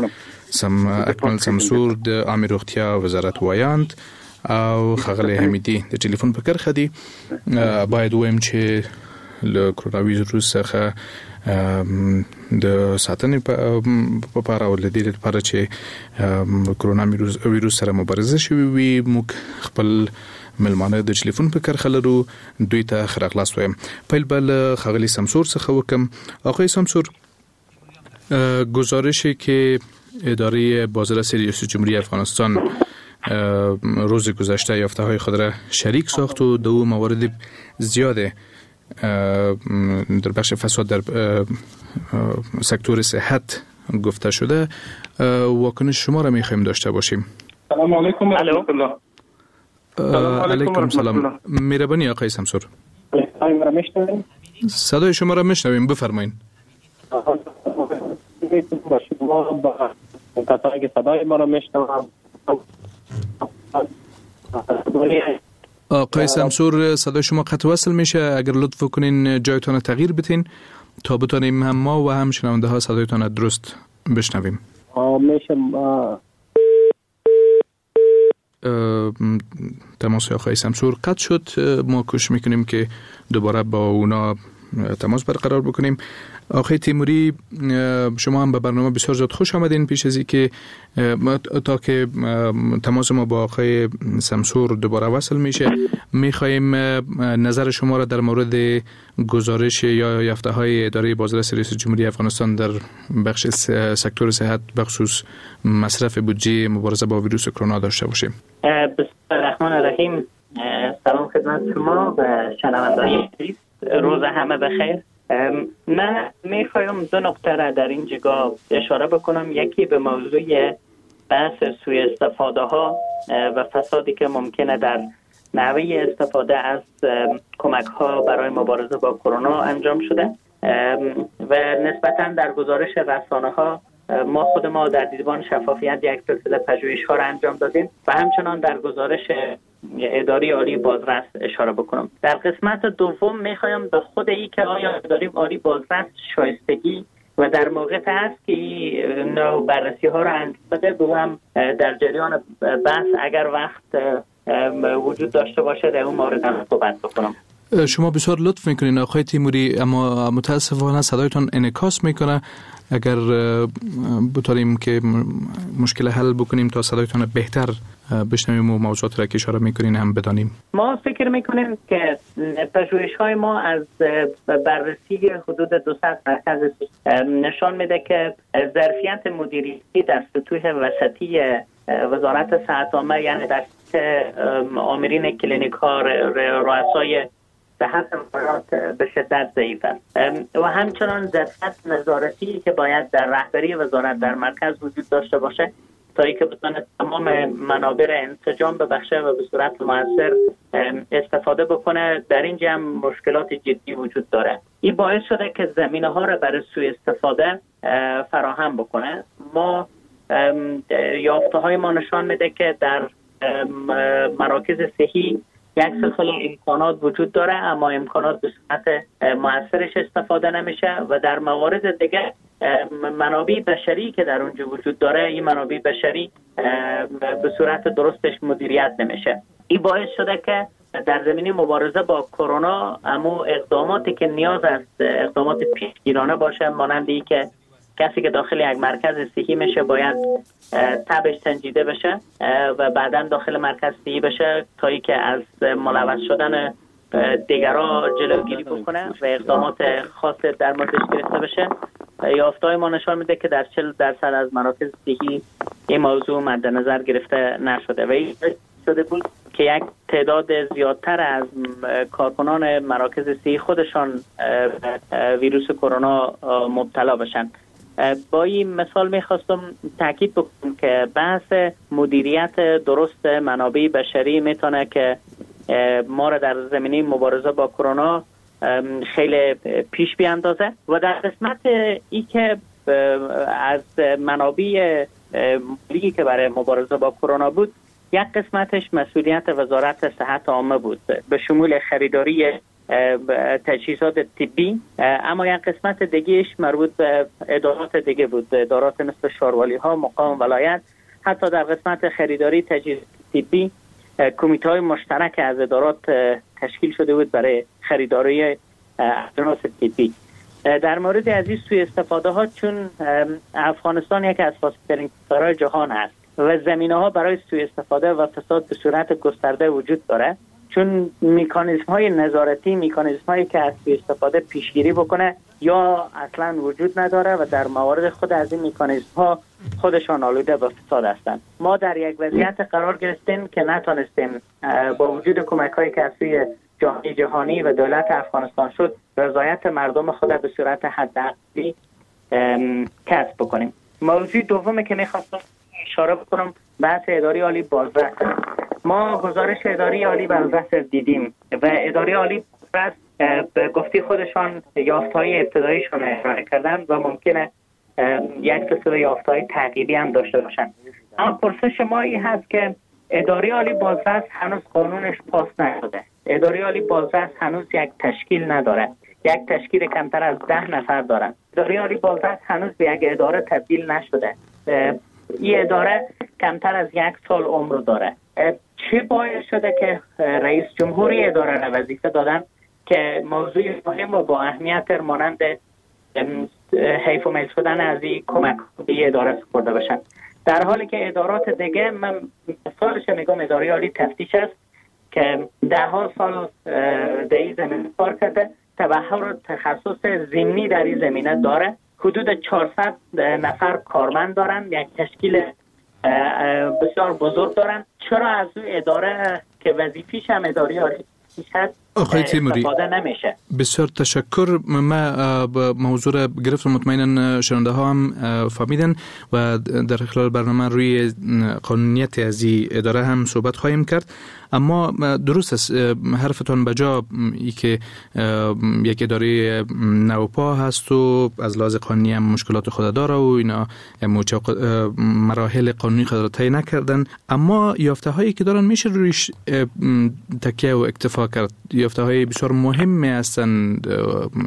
اکمل سمسور د عامې روغتیا وزارت ویاند او ښاغلی حمیدي د ټلیفون په کرښه دي. باید ووایم چې له کرونا ویروس څخه د ساتنې په پار او له دې لپاره چې کرونا ویروس سره مبارزه شوې وي، موږ خپل مېلمانه د ټلیفون په کرښه لرو، دوی ته ښه راغلاست وایم. پیل به له ښاغلي سمسور څخه وکم. آقای سمسور، گزارشی که اداره بازرسی ریاست جمهوری افغانستان روز گذشته یافته های خود را شریک ساخت و دو موارد زیاد در بخش فساد در سکتور صحت گفته شده، واکنش شما را میخوایم داشته باشیم. سلام علیکم و رحمت الله. علیکم سلام. مهربانی آقای سمسور. صدای شما را میشنویم، بفرمایید. کسایی که صدای ما را میشنوند. آقای سمسور، صدای شما قطع وصل میشه، اگر لطف کنین جایتان تغییر بدین تا بتونیم هم ما و هم شنونده ها صدایتان درست بشنویم. میشه. تماس آقای سمسور قطع شد. ما کوشش میکنیم که دوباره با اونا تماس برقرار بکنیم. آقای تیموری، شما هم به برنامه بسیار زیاد خوش آمدین. پیش از اینکه تا که تماس ما با آقای سمسور دوباره وصل میشه، میخواهیم نظر شما را در مورد گزارش یا یافته های اداره بازرسی ریاست جمهوری افغانستان در بخش سکتور صحت بخصوص مصرف بودجه مبارزه با ویروس کرونا داشته باشیم. بسم الله الرحمن الرحیم. سلام خدمت شما و شنونده‌های عزیز، روز همه بخیر. من میخوایم دو نقطه را در این جگاه اشاره بکنم. یکی به موضوع بحث سوء استفاده ها و فسادی که ممکنه در نحوه استفاده از کمک ها برای مبارزه با کرونا انجام شده و نسبتاً در گزارش رسانه ها ما خود ما در دیدبان شفافیت یک سلسله پژوهش ها را انجام دادیم و همچنان در گزارش اداره عالی بازرس اشاره بکنم. در قسمت دوم میخوایم به خود ای که آیا اداره عالی بازرس شایستگی و در موقع هست که این نوع بررسی ها را انجام بده، به هم در جریان بحث اگر وقت وجود داشته باشه در اون مورد هم صحبت بکنم. شما بسیار لطف میکنین آقای تیموری، اما متاسفانه صدایتان انعکاس میکنه. اگر بتونیم که مشکل حل بکنیم تا صدایتان بهتر بشنویم و موضوعات را که اشاره میکنین هم بدانیم. ما فکر میکنیم که پژوهش‌های ما از بررسی حدود 200 مرکز نشان میده که ظرفیت مدیریتی در سطوح وسطی وزارت صحت عامه، یعنی در آمرین کلینیک ها، رؤسای صحت به شدت ضعیف است و همچنان ظرفیت نظارتی که باید در رهبری وزارت در مرکز وجود داشته باشه تا اینکه بتونه تمام منابع را انسجام ببخشه و به صورت مؤثر استفاده بکنه، در اینجا هم مشکلات جدی وجود داره. این باعث شده که زمینه ها را برای سوء استفاده فراهم بکنه. ما یافته های ما نشان میده که در مراکز صحی یک سلسله امکانات وجود داره، اما امکانات به صورت مؤثرش استفاده نمیشه و در موارد دیگه منابع بشری که در اونجا وجود داره، این منابع بشری به صورت درستش مدیریت نمیشه. این باعث شده که در زمینه مبارزه با کرونا اما اقداماتی که نیاز است اقدامات پیشگیرانه باشه، مانند این که کسی که داخل یک مرکز صحی میشه باید تبش سنجیده بشه و بعدا داخل مرکز صحی بشه تا اینکه از ملوث شدن دیگرا جلوگیری بکنه و اقدامات خاص در موردش گرفته بشه. یافته‌های ما نشان میده که در 40% از مراکز صحی این موضوع مد نظر گرفته نشده و این شده بود که یک تعداد زیادتر از کارکنان مراکز صحی خودشان ویروس کرونا مبتلا بشن. با این مثال میخواستم تاکید بکنم که بحث مدیریت درست منابع بشری میتونه که ما را در زمینه مبارزه با کرونا خیلی پیش بیاندازه و در قسمت ای که از منابع مالی که برای مبارزه با کرونا بود، یک قسمتش مسئولیت وزارت صحت عامه بود به شمول خریداری تجهیزات طبی، اما یک قسمت دیگهش مربوط به ادارات دیگه بود، ادارات مثل شاروالی ها، مقام ولایت. حتی در قسمت خریداری تجهیزات طبی کمیته های مشترک از ادارات تشکیل شده بود برای خریداری اجناس طبی. در مورد از این سوء استفاده ها، چون افغانستان یکی از فاسدترین کشورهای جهان است و زمینه ها برای سوء استفاده و فساد به صورت گسترده وجود داره، چون مکانیزم های نظارتی، مکانیزم هایی که از سوء استفاده پیشگیری بکنه یا اصلا وجود نداره و در موارد خود از این مکانیزم ها خودشان آلوده به فساد هستند. ما در یک وضعیت قرار گرفتیم که نتونستیم با وجود کمک هایی که از سوی جامعه جهانی و دولت افغانستان شد، رضایت مردم خود به صورت حداقلی کسب بکنیم. موضوع دومی که میخواستم اشاره بکنم بحث اداره عالی بازرس. ما گزارش اداره عالی بازرس دیدیم و اداره عالی بازرس به گفته خودشان یافته‌های ابتداییشون ارائه کردن و ممکنه یک سلسله یافته‌های تغییری هم داشته باشن. اما پرسش ما این هست که اداره عالی بازرس هنوز قانونش پاس نشده. اداره عالی بازرس هنوز یک تشکیل نداره، یک تشکیل کمتر از 10 نفر دارن. اداره عالی بازرس هنوز به یک اداره تبدیل نشده. این اداره کمتر از 1 سال عمر داره. چه باعث شده که رئیس جمهوری اداره را وظیفه دادن که موضوع مهم و با اهمیت مانند حیف و میل شدن از این کمک به اداره سپرده باشن، در حالی که ادارات دیگه، من مثالش میگم اداره عالی تفتیش است که 10 سال در این زمینه کار کرده، تبحر و تخصص ضمنی در این زمینه داره، حدود 400 نفر کارمند دارن، یک تشکیل بسیار بزرگ دارن. چرا از اون اداره که وظیفیش هم اداره عالی هست استفاده نمیشه؟ بسیار تشکر. ما موضوع را گرفتم، مطمئنا شنونده ها هم فهمیدن و در خلال برنامه روی قانونیت از این اداره هم صحبت خواهیم کرد. اما درست است حرفتان بجا، ای که یک اداره نوپا هست و از لحاظ قانونی هم مشکلات خود داره و اینا مراحل قانونی خود را طی نکردن، اما یافته هایی که دارن میشه رویش تکیه و اکتفا کرد. یافته های بسیار مهم هستند،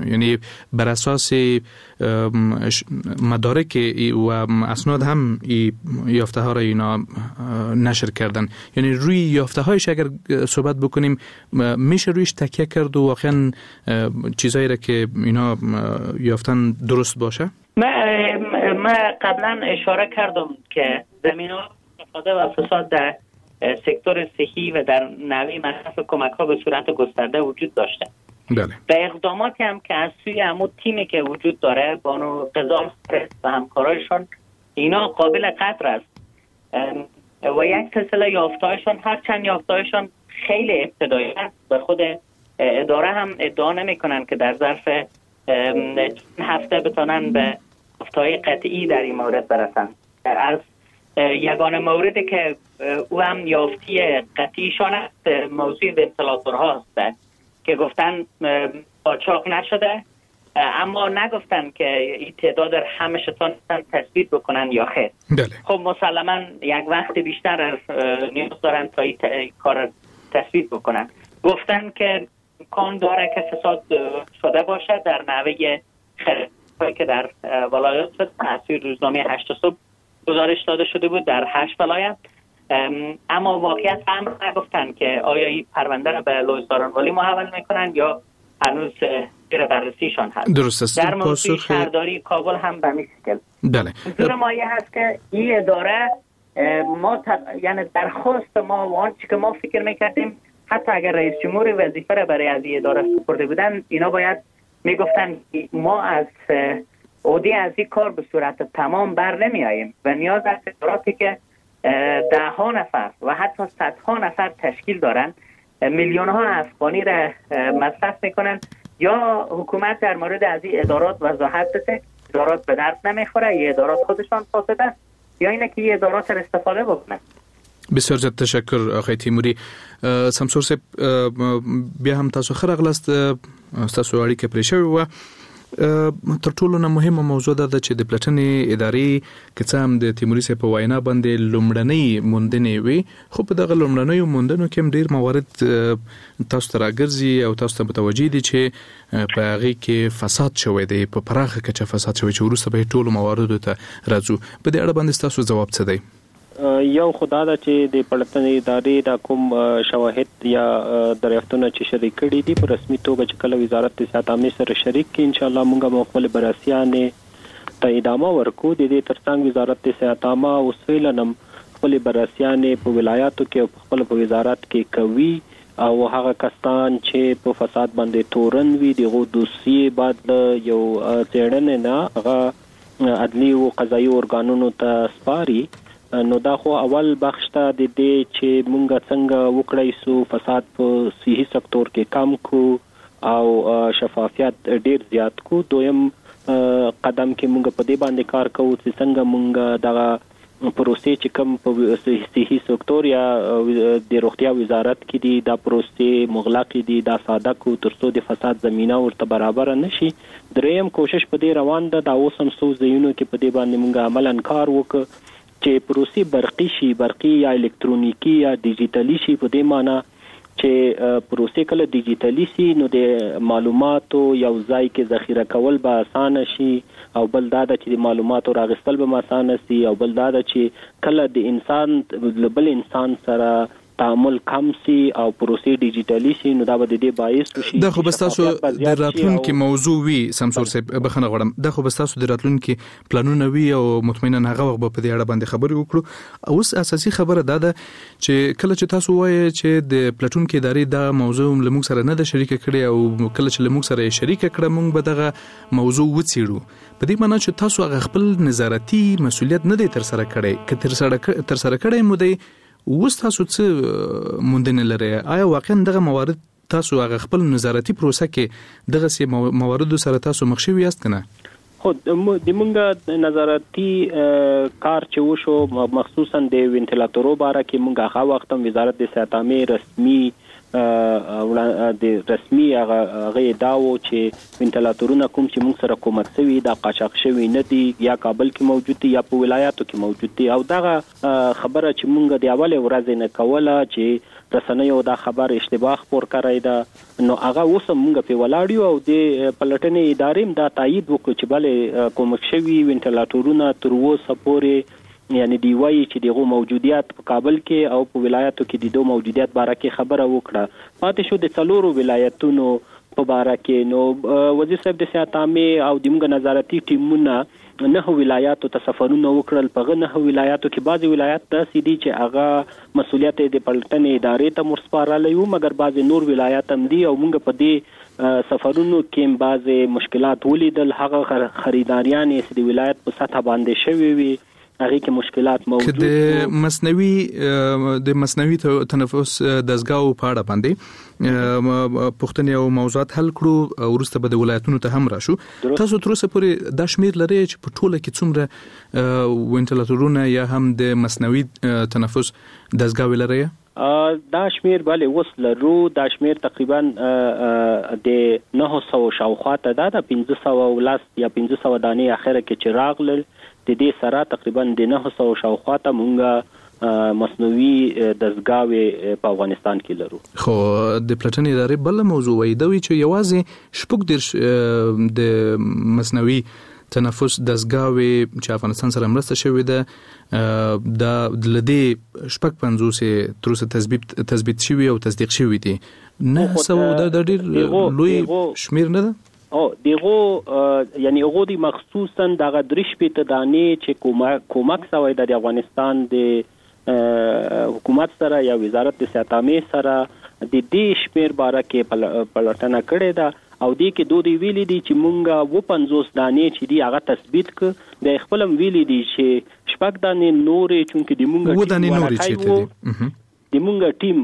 یعنی بر اساس مدارک و اسناد هم یافته ها را اینا نشر کردن. یعنی روی یافته هایش اگر صحبت بکنیم میشه رویش تکیه کرد و واقعا چیزایی را که اینا یافتن درست باشه. من قبلا اشاره کردم که زمینه استفاده و فساد در سکتور صحی و در نوع مصرف کمک ها به صورت گسترده وجود داشته. بله. و اقداماتی هم که از سوی عمود تیمی که وجود داره، بانو قزال و همکارایشان، اینا قابل قدر است و یک سلسله یافتهایشان، هرچند یافتهایشان خیلی ابتدایی است و خود اداره هم ادعا نمی‌کنن که در ظرف هفته بتونن به یافته‌های قطعی در این مورد برسن. از یگانه موردی که او هم یافتی قطعیشان است موضوع ونتیلاتورها است که گفتن قاچاق نشده، اما نگفتن که این تعداد همه تانستن تثبیت بکنن یا خیر. بله. خب مسلما یک وقت بیشتر نیاز دارن تا این کار تثبیت بکنن. گفتن که امکان داره که فساد شده باشه در نحوه خریدهایی که در ولایات شد. تاثیر روزنامه 8 صبح گزارش داده شده بود در 8 ولایت، اما واقعیت هم نگفتن که آیا این پرونده را به لوی سارنوالی محول میکنن یا هنوز زیر بررسیشان هست. درست است. در موضوع شهرداری کابل هم به همین شکل. بله. منظور ما این هست که این اداره ما یعنی درخواست ما و آنچه که ما فکر میکردیم، حتی اگر رئیس جمهور وظیفه را برای از این اداره سپرده بودن، اینا باید میگفتن ما از عهده از این کار به صورت تمام بر نمیاییم و نیاز است اداراتی که ده ها نفر و حتی صدها نفر تشکیل دارن، میلیون ها افغانی را مصرف میکنن، یا حکومت در مورد از این ادارات وضاحت بده، ادارات به درد نمیخوره، این ادارات خودشان فاسد است، یا اینه که این ادارات را استفاده بکنن. بسیار زیات تشکر آقای تیموری. سمسور صاحب، بیا هم تاسو ښه راغلاست، ستاسو اړیکه پرې شوې وه. تر ټولو نه مهمه موضوع دا ده چې د پلټنې ادارې که څه هم د تیموري صاحب په وینا باندې لومړنۍ موندنې وي، خو په دغه لومړنیو موندنو کې هم ډېر موارد تاسو ته راګرځي او تاسو ته متوجه دي چې په هغې کې فساد شوی دی، په پراخه کچه فساد شوی چې وروسته به یې ټولو مواردو ته راځو. په دې اړه باندې ستاسو ځواب څه دی؟ یو خو دا ده چې د پلټنې ادارې دا کوم شواهد یا دریافتونه چې شریک کړي دي په رسمي توګه چې کله وزارت د صحت عامې سره شریک کړي، ان شاء الله موږ به خپل بررسیانې ته ادامه ورکړو. د دې ترڅنګ وزارت د صحت عامه اوس فعلاً هم خپلې بررسیانې په ولایاتو کې او په خپل په وزارت کې کوي، او هغه کسان چې په فساد باندې تورن وي دغو دوسیې بعد له یو څېړنې نه هغه عدلي او قضایي ارګانونو ته سپاري. نو دا خو اول بخش ته د دې چې مونږ څنګه وکړای سو فساد په صحي سکتور کې کم کو او شفافیت ډیر زیات کو. دویم قدم کې مونږ په دې باندې کار کوو چې څنګه مونږ دغه پروسې چې کوم په صحي سکتور یا د روغتیا وزارت کې دي دا پروسې مغلقې دي، دا ساده کو ترڅو د فساد زمینه ورته برابره نشي. دریم کوشش په دې روان ده، دا اوس هم څو ځایونو کې په دې باندې مونږ عملاً کار وکړو چې پروسې برقي شي، برقي یا الکترونیکی یا ډیجیټلي شي. په دې معنی چې پروسې کله ډیجیټلي شي نو د معلوماتو یو ځای کې ذخیره کول به اسانه شي، او بل دا ده چې د معلوماتو راغستل به اسانه شي، او بل دا ده چې کله د انسان له بل انسان سره تعامل کم سي او پروسې ډیجیټلي شي نو دا به د دې باعث شي. دا خو به ستاسو د راتلونکي موضوع وي سمسور صاحب، بخښنه غواړم، دا خو به ستاسو د راتلونکي پلانونه وي او مطمئنا هغه وخت به په دې اړه باندې خبرې وکړو. اوس اساسي خبره دا ده چې کله چې تاسو وایئ چې د پلټونکي ادارې دا موضوع له موږ سره نه ده شریکه کړې او کله چې له موږ سره یې شریکه کړه موږ به دغه موضوع وڅېړو، په دې معنی چې تاسو هغه خپل نظارتي مسولیت نه دی ترسره کړی. که ترسره کړی مو دی، اوس تاسو څه موندنې لرئ؟ آیا واقعا دغه موارد تاسو هغه خپل نظارتي پروسه کې دغسې مواردو سره تاسو مخ شوي یاست که نه؟ خو د مونږ نظارتي کار چې وشو مخصوصا د وینټیلاتورو باره کې مونږ هغه وخت هم وزارت د صحت عامې رسمي د رسمي هغه ادعا و چې وینټیلاتورونه کوم چې مونږ سره کومک شوي دا قاچاق شوي نه دي، یا کابل کې موجود دي یا په ولایاتو کې موجود دي. او دغه خبره چې مونږ د اولې ورځې نه کوله چې رسنیو دا خبر اشتباه خپور کړی ده، نو هغه اوس هم مونږ پرې ولاړ یو او د پلټنې ادارې هم دا تایید وکړو چې بلې کومک شوي وینټیلاتورونه تر اوسه پورې یعنی دی وایي چې دغه موجودیت په کابل کې او په ولایاتو کې د دوه موجودیت باره کې خبره وکړه. پاتې شو د څلورو ولایتونو په باره کې، نو وزیر صاحب د صحت عامې او د موږ نظارتي ټیمونه 9 ولایاتو ته سفرونه وکړل. په هغه 9 ولایاتو کې بعضې ولایات داسې دي چې هغه مسولیت یې د پلټنې ادارې ته ورسپارلی و، مګر بعضې نور ولایات هم دي او موږ په دې سفرونو کې بعضې مشکلات ولیدل. هغه خریداریان یې چې د ولایت په سطح باندې شوې وي هغې کې مشکلات موجود که د مصنوعي د مصنوعي تنفس دستګاو په اړه باندې پوښتنې او موضوعات حل کړو، وروسته به د ولایتونو ته هم راشو. تاسو تر اوسه پورې دا شمیر لرئ چې په ټوله کې څومره وینټیلیټرونه یا هم د مصنوعي تنفس دستګاوې لرئ؟ دا شمیر بله اوس لرو. دا شمیر تقریبا د 900 شاوخوا ته ده. د 510 یا 500 دانې اخره کې چې راغلل، د دې سره تقریبا د 900 شاوخوا ته مونږه مصنوعي دستګاوې په افغانستان کې لرو. خو د پلټنې ادارې بله موضوع وایي، دا وایي چې یوازې 36 د مصنوعي تنفس دستګاوې چې افغانستان سره مرسته شوې ده، دا له دې 56 یې تر اوسه تثبیت شوي او تصدیق شوي دي. 900 دا ډېر لوی شمېر نه ده؟ او دغه یعنی هغه دی مخصوصا دغه 63 دانې چې کومک سوی د افغانستان د حکومت سره یا وزارت د صحت عامې سره، د دې شمیر باره کې پلټنه کړې ده او دې کې دوی دی ویلي دي چې مونږه 57 دانې چې دي هغه تثبیت ک د خپل هم ویلي دي چې 6 دانې نورې، چونکې د مونږه 7 دانې نورې چیرته دي، د مونږ ټیم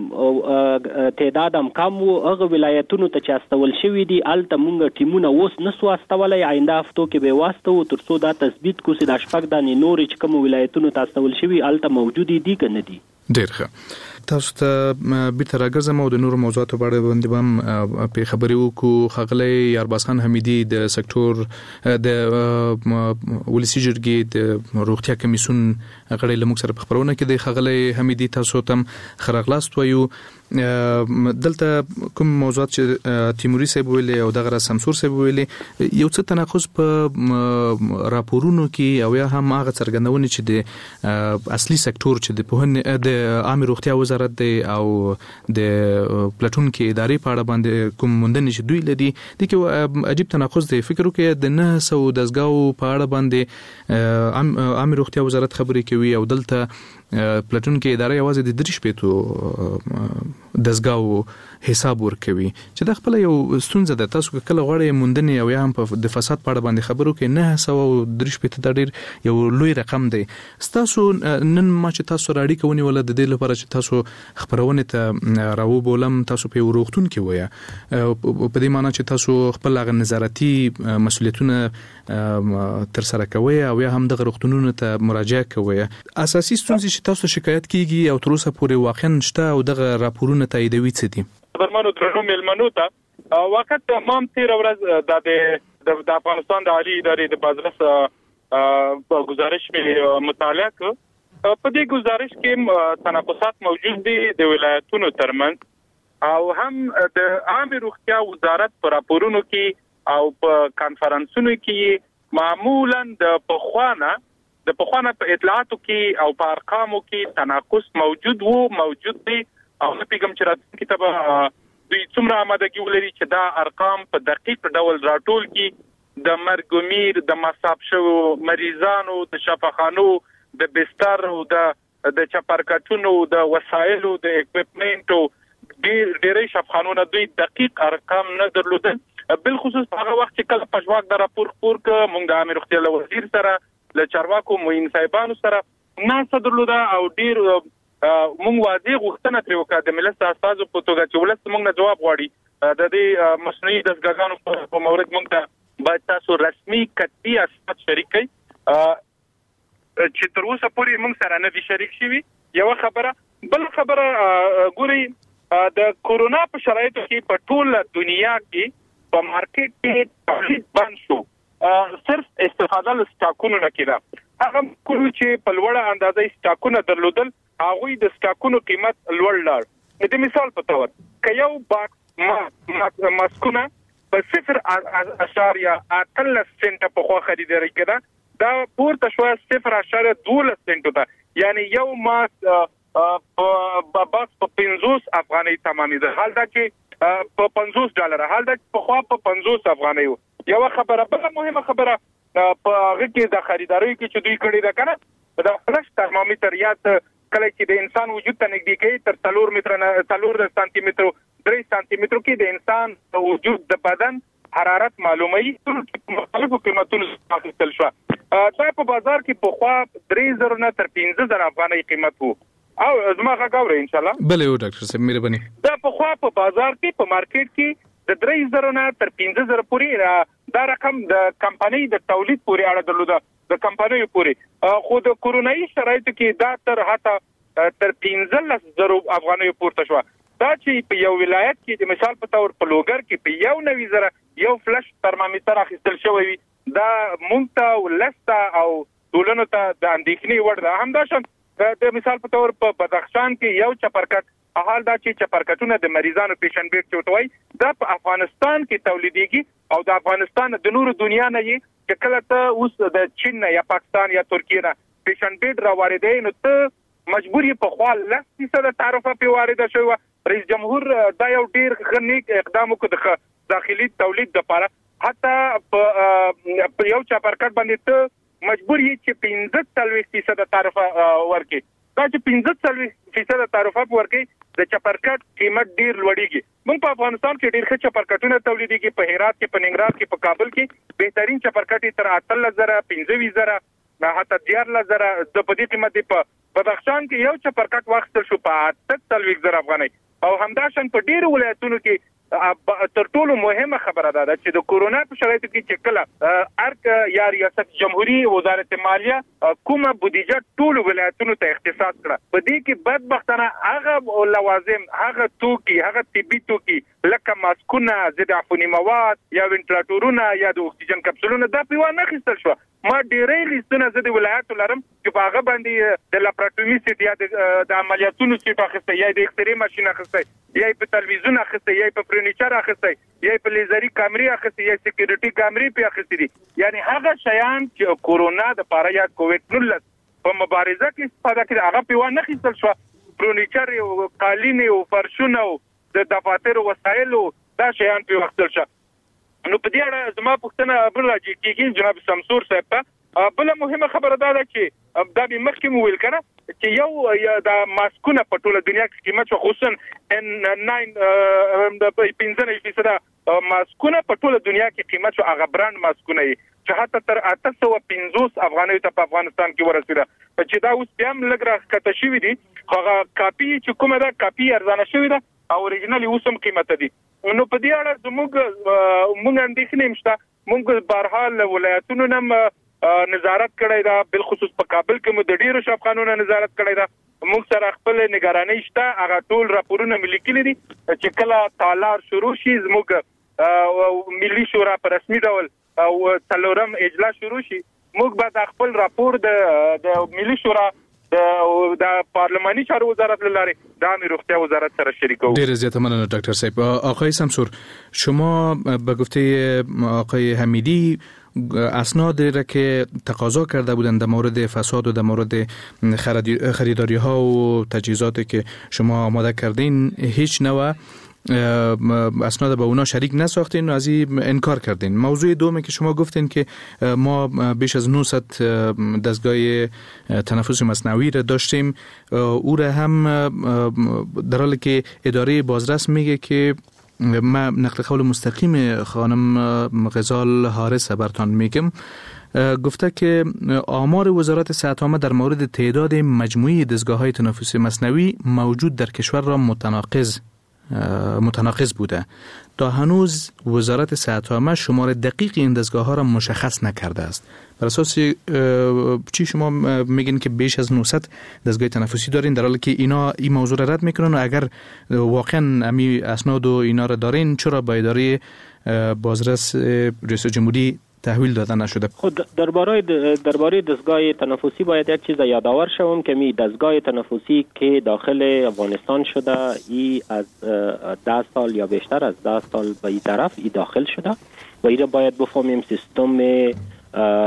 تعداد هم کم وو. هغه ولایتونو ته چې استول شوي دي، هلته مونږ ټیمونه اوس نسو استولی، آینده هفتو کې به یې واستوو تر څو دا تثبیت کړو چې دا 6 دانې نورې چې کومو ولایتونو ته استول شوي هلته موجودې دي که نه دي. ډیر ښه، تاسو ته بیرته راګرځم او د نورو موضوعاتو په اړه باندې به هم په خبرې وکړو. ښاغلی یارباز خان حمیدي د سکتور د ولسي جرګې د روغتیا کمیسیون غړی له موږ سره په خپرونه کې دی. ښاغلی حمیدي، تاسو ته هم ښه راغلاست وایو. دلته کوم موضوعات چې تیموري صاحب ویلي او دغه راز سمسور صاحب ویلي، یو څه تناقض په راپورونو کې او یا هم هغه څرګندونې چې د اصلي سکتور چې د پوهنې د عامې روغتیا وزارت دی او د پلټونکې ادارې په اړه باندې کوم موندنې چې دوی لري، دې کې عجیب تناقض دی. فکر وکړئ د 900 دستګاو په اړه باندې عامې روغتیا وزارت خبرې کوي او دلته پلټونکې اداره یوازې د 63 دستګاو حساب ورکوي، چې دا خپله یو ستونزه ده. تاسو که کله غواړئ موندنې او یا هم په د فساد په اړه باندې خبرو کې 963 دا ډېر یو لوی رقم دی. ستاسو نن ما چې تاسو سره اړیکه ونیوله د دې لپاره چې تاسو خپرونې ته راوبولم، تاسو په یو روغتون کې ویه، په دې معنی چې تاسو خپل هغه نظارتي مسؤلیتونه تر سره کوئ او یا هم دغه روغتونونو ته مراجعه کوئ. اساسي ستونزې چې تاسو شکایت کیږي او تر اوسه پورې واقعا شته او دغه راپورونه تاییدوي څه دي؟ قدرمنو درنو مېلمنو ته، واقعا ما هم تېره ورځ د افغانستان د عالي ادارې د بازرس ګزارش مې مطالعه کړ. په دې ګزارش کې تناقضات موجود دي د ولایتونو ترمنځ او هم د عامې روغتیا وزارت په راپورونو کې او په کانفرنسونو کې معمولا د پخوانه په اطلاعاتو کې او په ارقامو کې تناقض موجود وو، موجود دی او نه پوهېږم چې راتلونکي ته به دوی څومره آمادګي ولري چې دا ارقام په دقیق ډول راټول کړي. د مرګ و میر، د مصاب شوو مریضانو، د شفاخانو، د بستر او د چپرکټونو، د وسایلو، د اکویپمنټو ډېری شفاخانو نه دوی دقیق ارقام نه درلودل. بالخصوص هغه وخت چې کله پژواک دا راپور خپور کړ، موږ د عامې روغتیا له وزیر سره، له چارواکو معین صاحبانو سره ناسته درلوده او ډېر موږ واضح غوښتنه ترې وکړه د ملت د استازو په توګه چې ولس موږ نه ځواب غواړي د دې مصنوعي دستګاګانو په مورد موږ ته باید تاسو رسمي کتبي اسناد شریک کړئ چې تر اوسه پورې موږ سره نه دي شریک شوي. یوه خبره. بل خبره، ګورئ د کورونا په شرایطو کې په ټوله دنیا کې په مارکیټ کې تولید بند شو، صرف استفاده له سټاکونو نه کېده. هغه ملکونو چې په لوړه اندازه یې سټاکونه درلودل، هغوی د سټاکونو قیمت لوړ لاړ. د مثال په تور که یو باکس ماسکونه په 0.18 سنټه پخوا خریداري کېده، دا پورته شوه 0.12 سنټو ته، یعنی یو ماسک باکس په 50 افغانۍ تمامېده، حال دا چې په $50، حال دا چې پخوا په 50 افغانۍ و. یوه خبره. بله مهمه خبره په هغه کې د خریداریو کې چې دوی کړې ده که نه، دا فلش ترمامیتر یا کله چې د انسان وجود ته نږدې کوي تر 4 متر نه 4 سانتي مترو 3 سانتي مترو کې د انسان وجود د بدن حرارت معلوموي په مختلفو قیمتونو اخیستل شوه. دا په بازار کې پخوا 3000 نه تر 5000 افغانۍ قیمت وو. او زما غږ اورئ ان شاء الله؟ بله او ډاکټر صاحب مهرباني. دا پخوا په بازار کې په مارکیټ کې د 3000 نه تر 5000 پورې دا رقم د کمپنۍ د تولید پورې اړه درلوده، د کمپنیو پورې. خو د کورونایي شرایطو کې دا تر حتی تر 15000 افغانیو پورته شوه. دا چې په یو ولایت کې د مثال په تور په لوګر کې په 91,000 یو فلش ترمامیتر اخیستل شوی وي، دا مونږ ته ولس ته او ټولنو ته د اندېښنې وړ ده. همداشان د مثال په تور په بدخشان کې یو چپرکټ، حال دا چې چپرکټونه د مریضانو پیشن بیډ چې ورته وایي دا په افغانستان کې تولیدېږي او د افغانستان د نورو دنیا نه یې چې کله ته اوس د چین نه یا پاکستان یا ترکیې نه پیشن بیډ را واردوې نو ته مجبور یې پخوا 10% تعرفه پرې وارده شوې وه. رئیس جمهور دا یو ډېر ښه نیک اقدام وکړ د ښه داخلي تولید دپاره. حتی په یو چپرکټ باندې ته مجبور یې چې 45% تعرفه ورکړې. دا چې 45% تعرفه ورکړې د چپرکټ قیمت ډېر لوړېږي. موږ په افغانستان کې ډېر ښه چپرکټونه تولیدېږي، په هرات کې، په ننګرهار کې، په کابل کې بهترین چپرکټ یې تر 18,000، 25,000، حتی 13,000 د په دې قیمت دی. په بدخشان کې یو چپرکټ واخیستل شو په 48,000 افغانۍ. او همداشان په ډېرو ولایتونو کې تر ټولو مهمه خبره دا ده چې د کورونا په شرایطو کې چې کله ارګ یا ریاست جمهوري وزارت مالیه کومه بودیجه ټولو ولایتونو ته اختصاص کړه، په دې کې بدبختانه هغه لوازم، هغه توکي، هغه طبي توکي لکه ماسکونه، ضد عفوني مواد یا وینټیلاټورونه یا د اکسیجن کپسولونه دا پرې وانه خیستل شوه. ما ډېری لیستونه زه د ولایاتو لرم چې په هغه باندې د لاپراتومي سیټ یا د عملیاتونو سیټ اخیستی، یا د اکسرې ماشین اخیستی، یا په تلویزیون اخیستی، یا په فرنیچر اخیستی، یا په لیزري کامرې اخیستی، یا سکیورټي کامرې پې اخیستې دي. یعنی هغه شیان چې کورونا دپاره یا کوویډ 19 په مبارزه کې استفاده کړي هغه پې وانه خیستل شوه. فرنیچر او قالینې او فرشونه او د دفاترو وسایلو دا شیان پې واخیستل شوه. نو په دې اړه زما پوښتنه بل راجع کېږي جناب سمسور صاحب ته. بله مهمه خبره دا ده چې دا مې مخکې مو ویل که نه چې یو دا ماسکونه په ټوله دنیا کې قیمت شوه، خصوصا N9 95% ماسکونه په ټوله دنیا کې قیمت شو، هغه برانډ ماسکونه یې چې حتی تر 850 افغانیو ته په افغانستان کې ورسېده، چې دا اوس بیا هم لږ راښکته شوي دي، خو هغه کاپي چې کومه ده کاپي ارزانه شوې ده او اوریجنل یې اوس هم قیمته دي. نو په دې اړه زموږ موږ اندېښنې هم شته. موږ بهرحال له ولایتونو نه نظارت کړی ده، بالخصوص په کابل کې مو د ډېرو شفاخانو نه نظارت کړی ده. موږ سره خپل نګرانۍ شته، هغه ټول راپورونه مې لیکلي دي چې کله تالار شروع شي زموږ ملي شورا په رسمي ډول او څلورم اجلاس شروع شي، موږ به د خپل راپور د ملي شورا د پارلماني چارو وزارت له لارې د عامې روغتیا وزارت سره شریکوو. ډېره زیاته مننه ډاکټر صاحب. آقای سمسور، شما به گفته آقای حمیدی اسناد را که تقاضا کرده بودند در مورد فساد و در مورد خریداری ها و تجهیزاتی که شما آماده کردین هیچ نوع اسناد با اونا شریک نساختین و از این انکار کردین. موضوع دومی که شما گفتین که ما بیش از 900 دستگاه تنفس مصنوعی را داشتیم، او را هم در حالی که اداره بازرس میگه که من نقل قول مستقیم خانم غزال حارس برتان میگم، گفته که آمار وزارت صحت عامه در مورد تعداد مجموعی دستگاه های تنفس مصنوعی موجود در کشور را متناقض بوده. تا هنوز وزارت صحت عامه شمار دقیق این دستگاه ها را مشخص نکرده است. بر اساس چی شما میگین که بیش از 900 دستگاه تنفسی دارین، در حالی که اینا این موضوع را رد میکنن و اگر واقعا امی اسناد و اینا را دارین چرا با اداره بازرس رئیس جمهوری تحویل داده نشده؟ خود درباره دستگاه تنفسی باید یک چیز یادآور شوم که می دستگاه تنفسی که داخل افغانستان شده ای از 10 سال یا بیشتر از 10 سال به این طرف ای داخل شده و ای را باید بفهمیم سیستم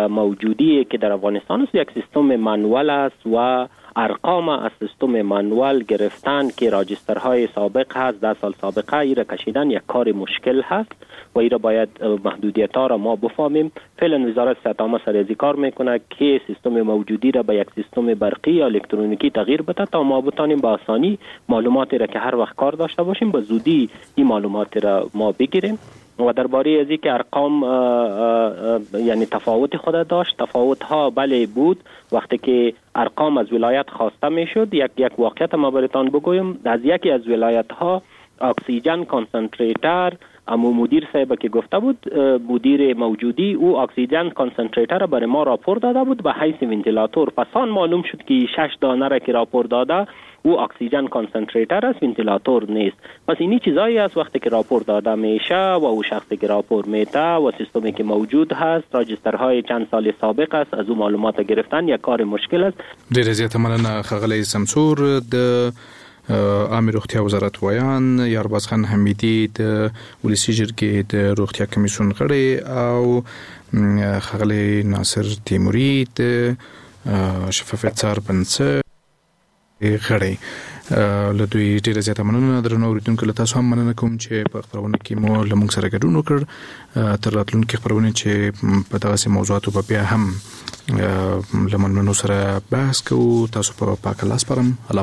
موجودی که در افغانستان است یک سیستم منوال است و ارقام از سیستم منوال گرفتن که راجسترهای سابق هست 10 سال سابقه ای را کشیدن یک کار مشکل هست و ای را باید محدودیت ها را ما بفهمیم. فعلا وزارت صحت عامه سر از کار میکنه که سیستم موجودی را به یک سیستم برقی یا الکترونیکی تغییر بده تا ما بتانیم با آسانی معلوماتی را که هر وقت کار داشته باشیم به زودی این معلومات را ما بگیریم. و درباره از که ارقام یعنی تفاوت خود داشت، تفاوت ها بله بود. وقتی که ارقام از ولایت خواسته میشد، یک واقعیت ما براتان بگویم، از یکی از ولایت ها oxygen concentrator امو مدیر صاحب که گفته بود، مدیر موجودی او oxygen concentrator برای ما راپور داده بود به حیث ونتیلاتور. پسان معلوم شد که 6 دانه را که راپور داده او oxygen concentrator است، ونتیلاتور نیست. پس اینی چیزایی است وقتی که راپور داده میشه و او شخصی که راپور میته و سیستمی که موجود هست، راجسترهای چند سال سابق است، از او معلومات گرفتن یک کار مشکل است. ډیره زیاته مننه ښاغلی سمسور. د عامې روغتیا وزارت ویاند یارباز خان حمیدي، د ولسي جرګې د روغتیا کمیسیون غړی او ښاغلی ناصر تیموري، د شفافیت څار بنسټ غړی، له دوی ډیره زیاته مننه. درنو اوریدونکو، له تاسو هم مننه کوم چې په خپرونه کې مو له موږ سره ګډون وکړ. تر راتلونکي خپرونې چې په دغسې موضوعاتو به بیا هم له مېلمنو سره بحث کوو، تاسو په پاک الله سپارم. الله.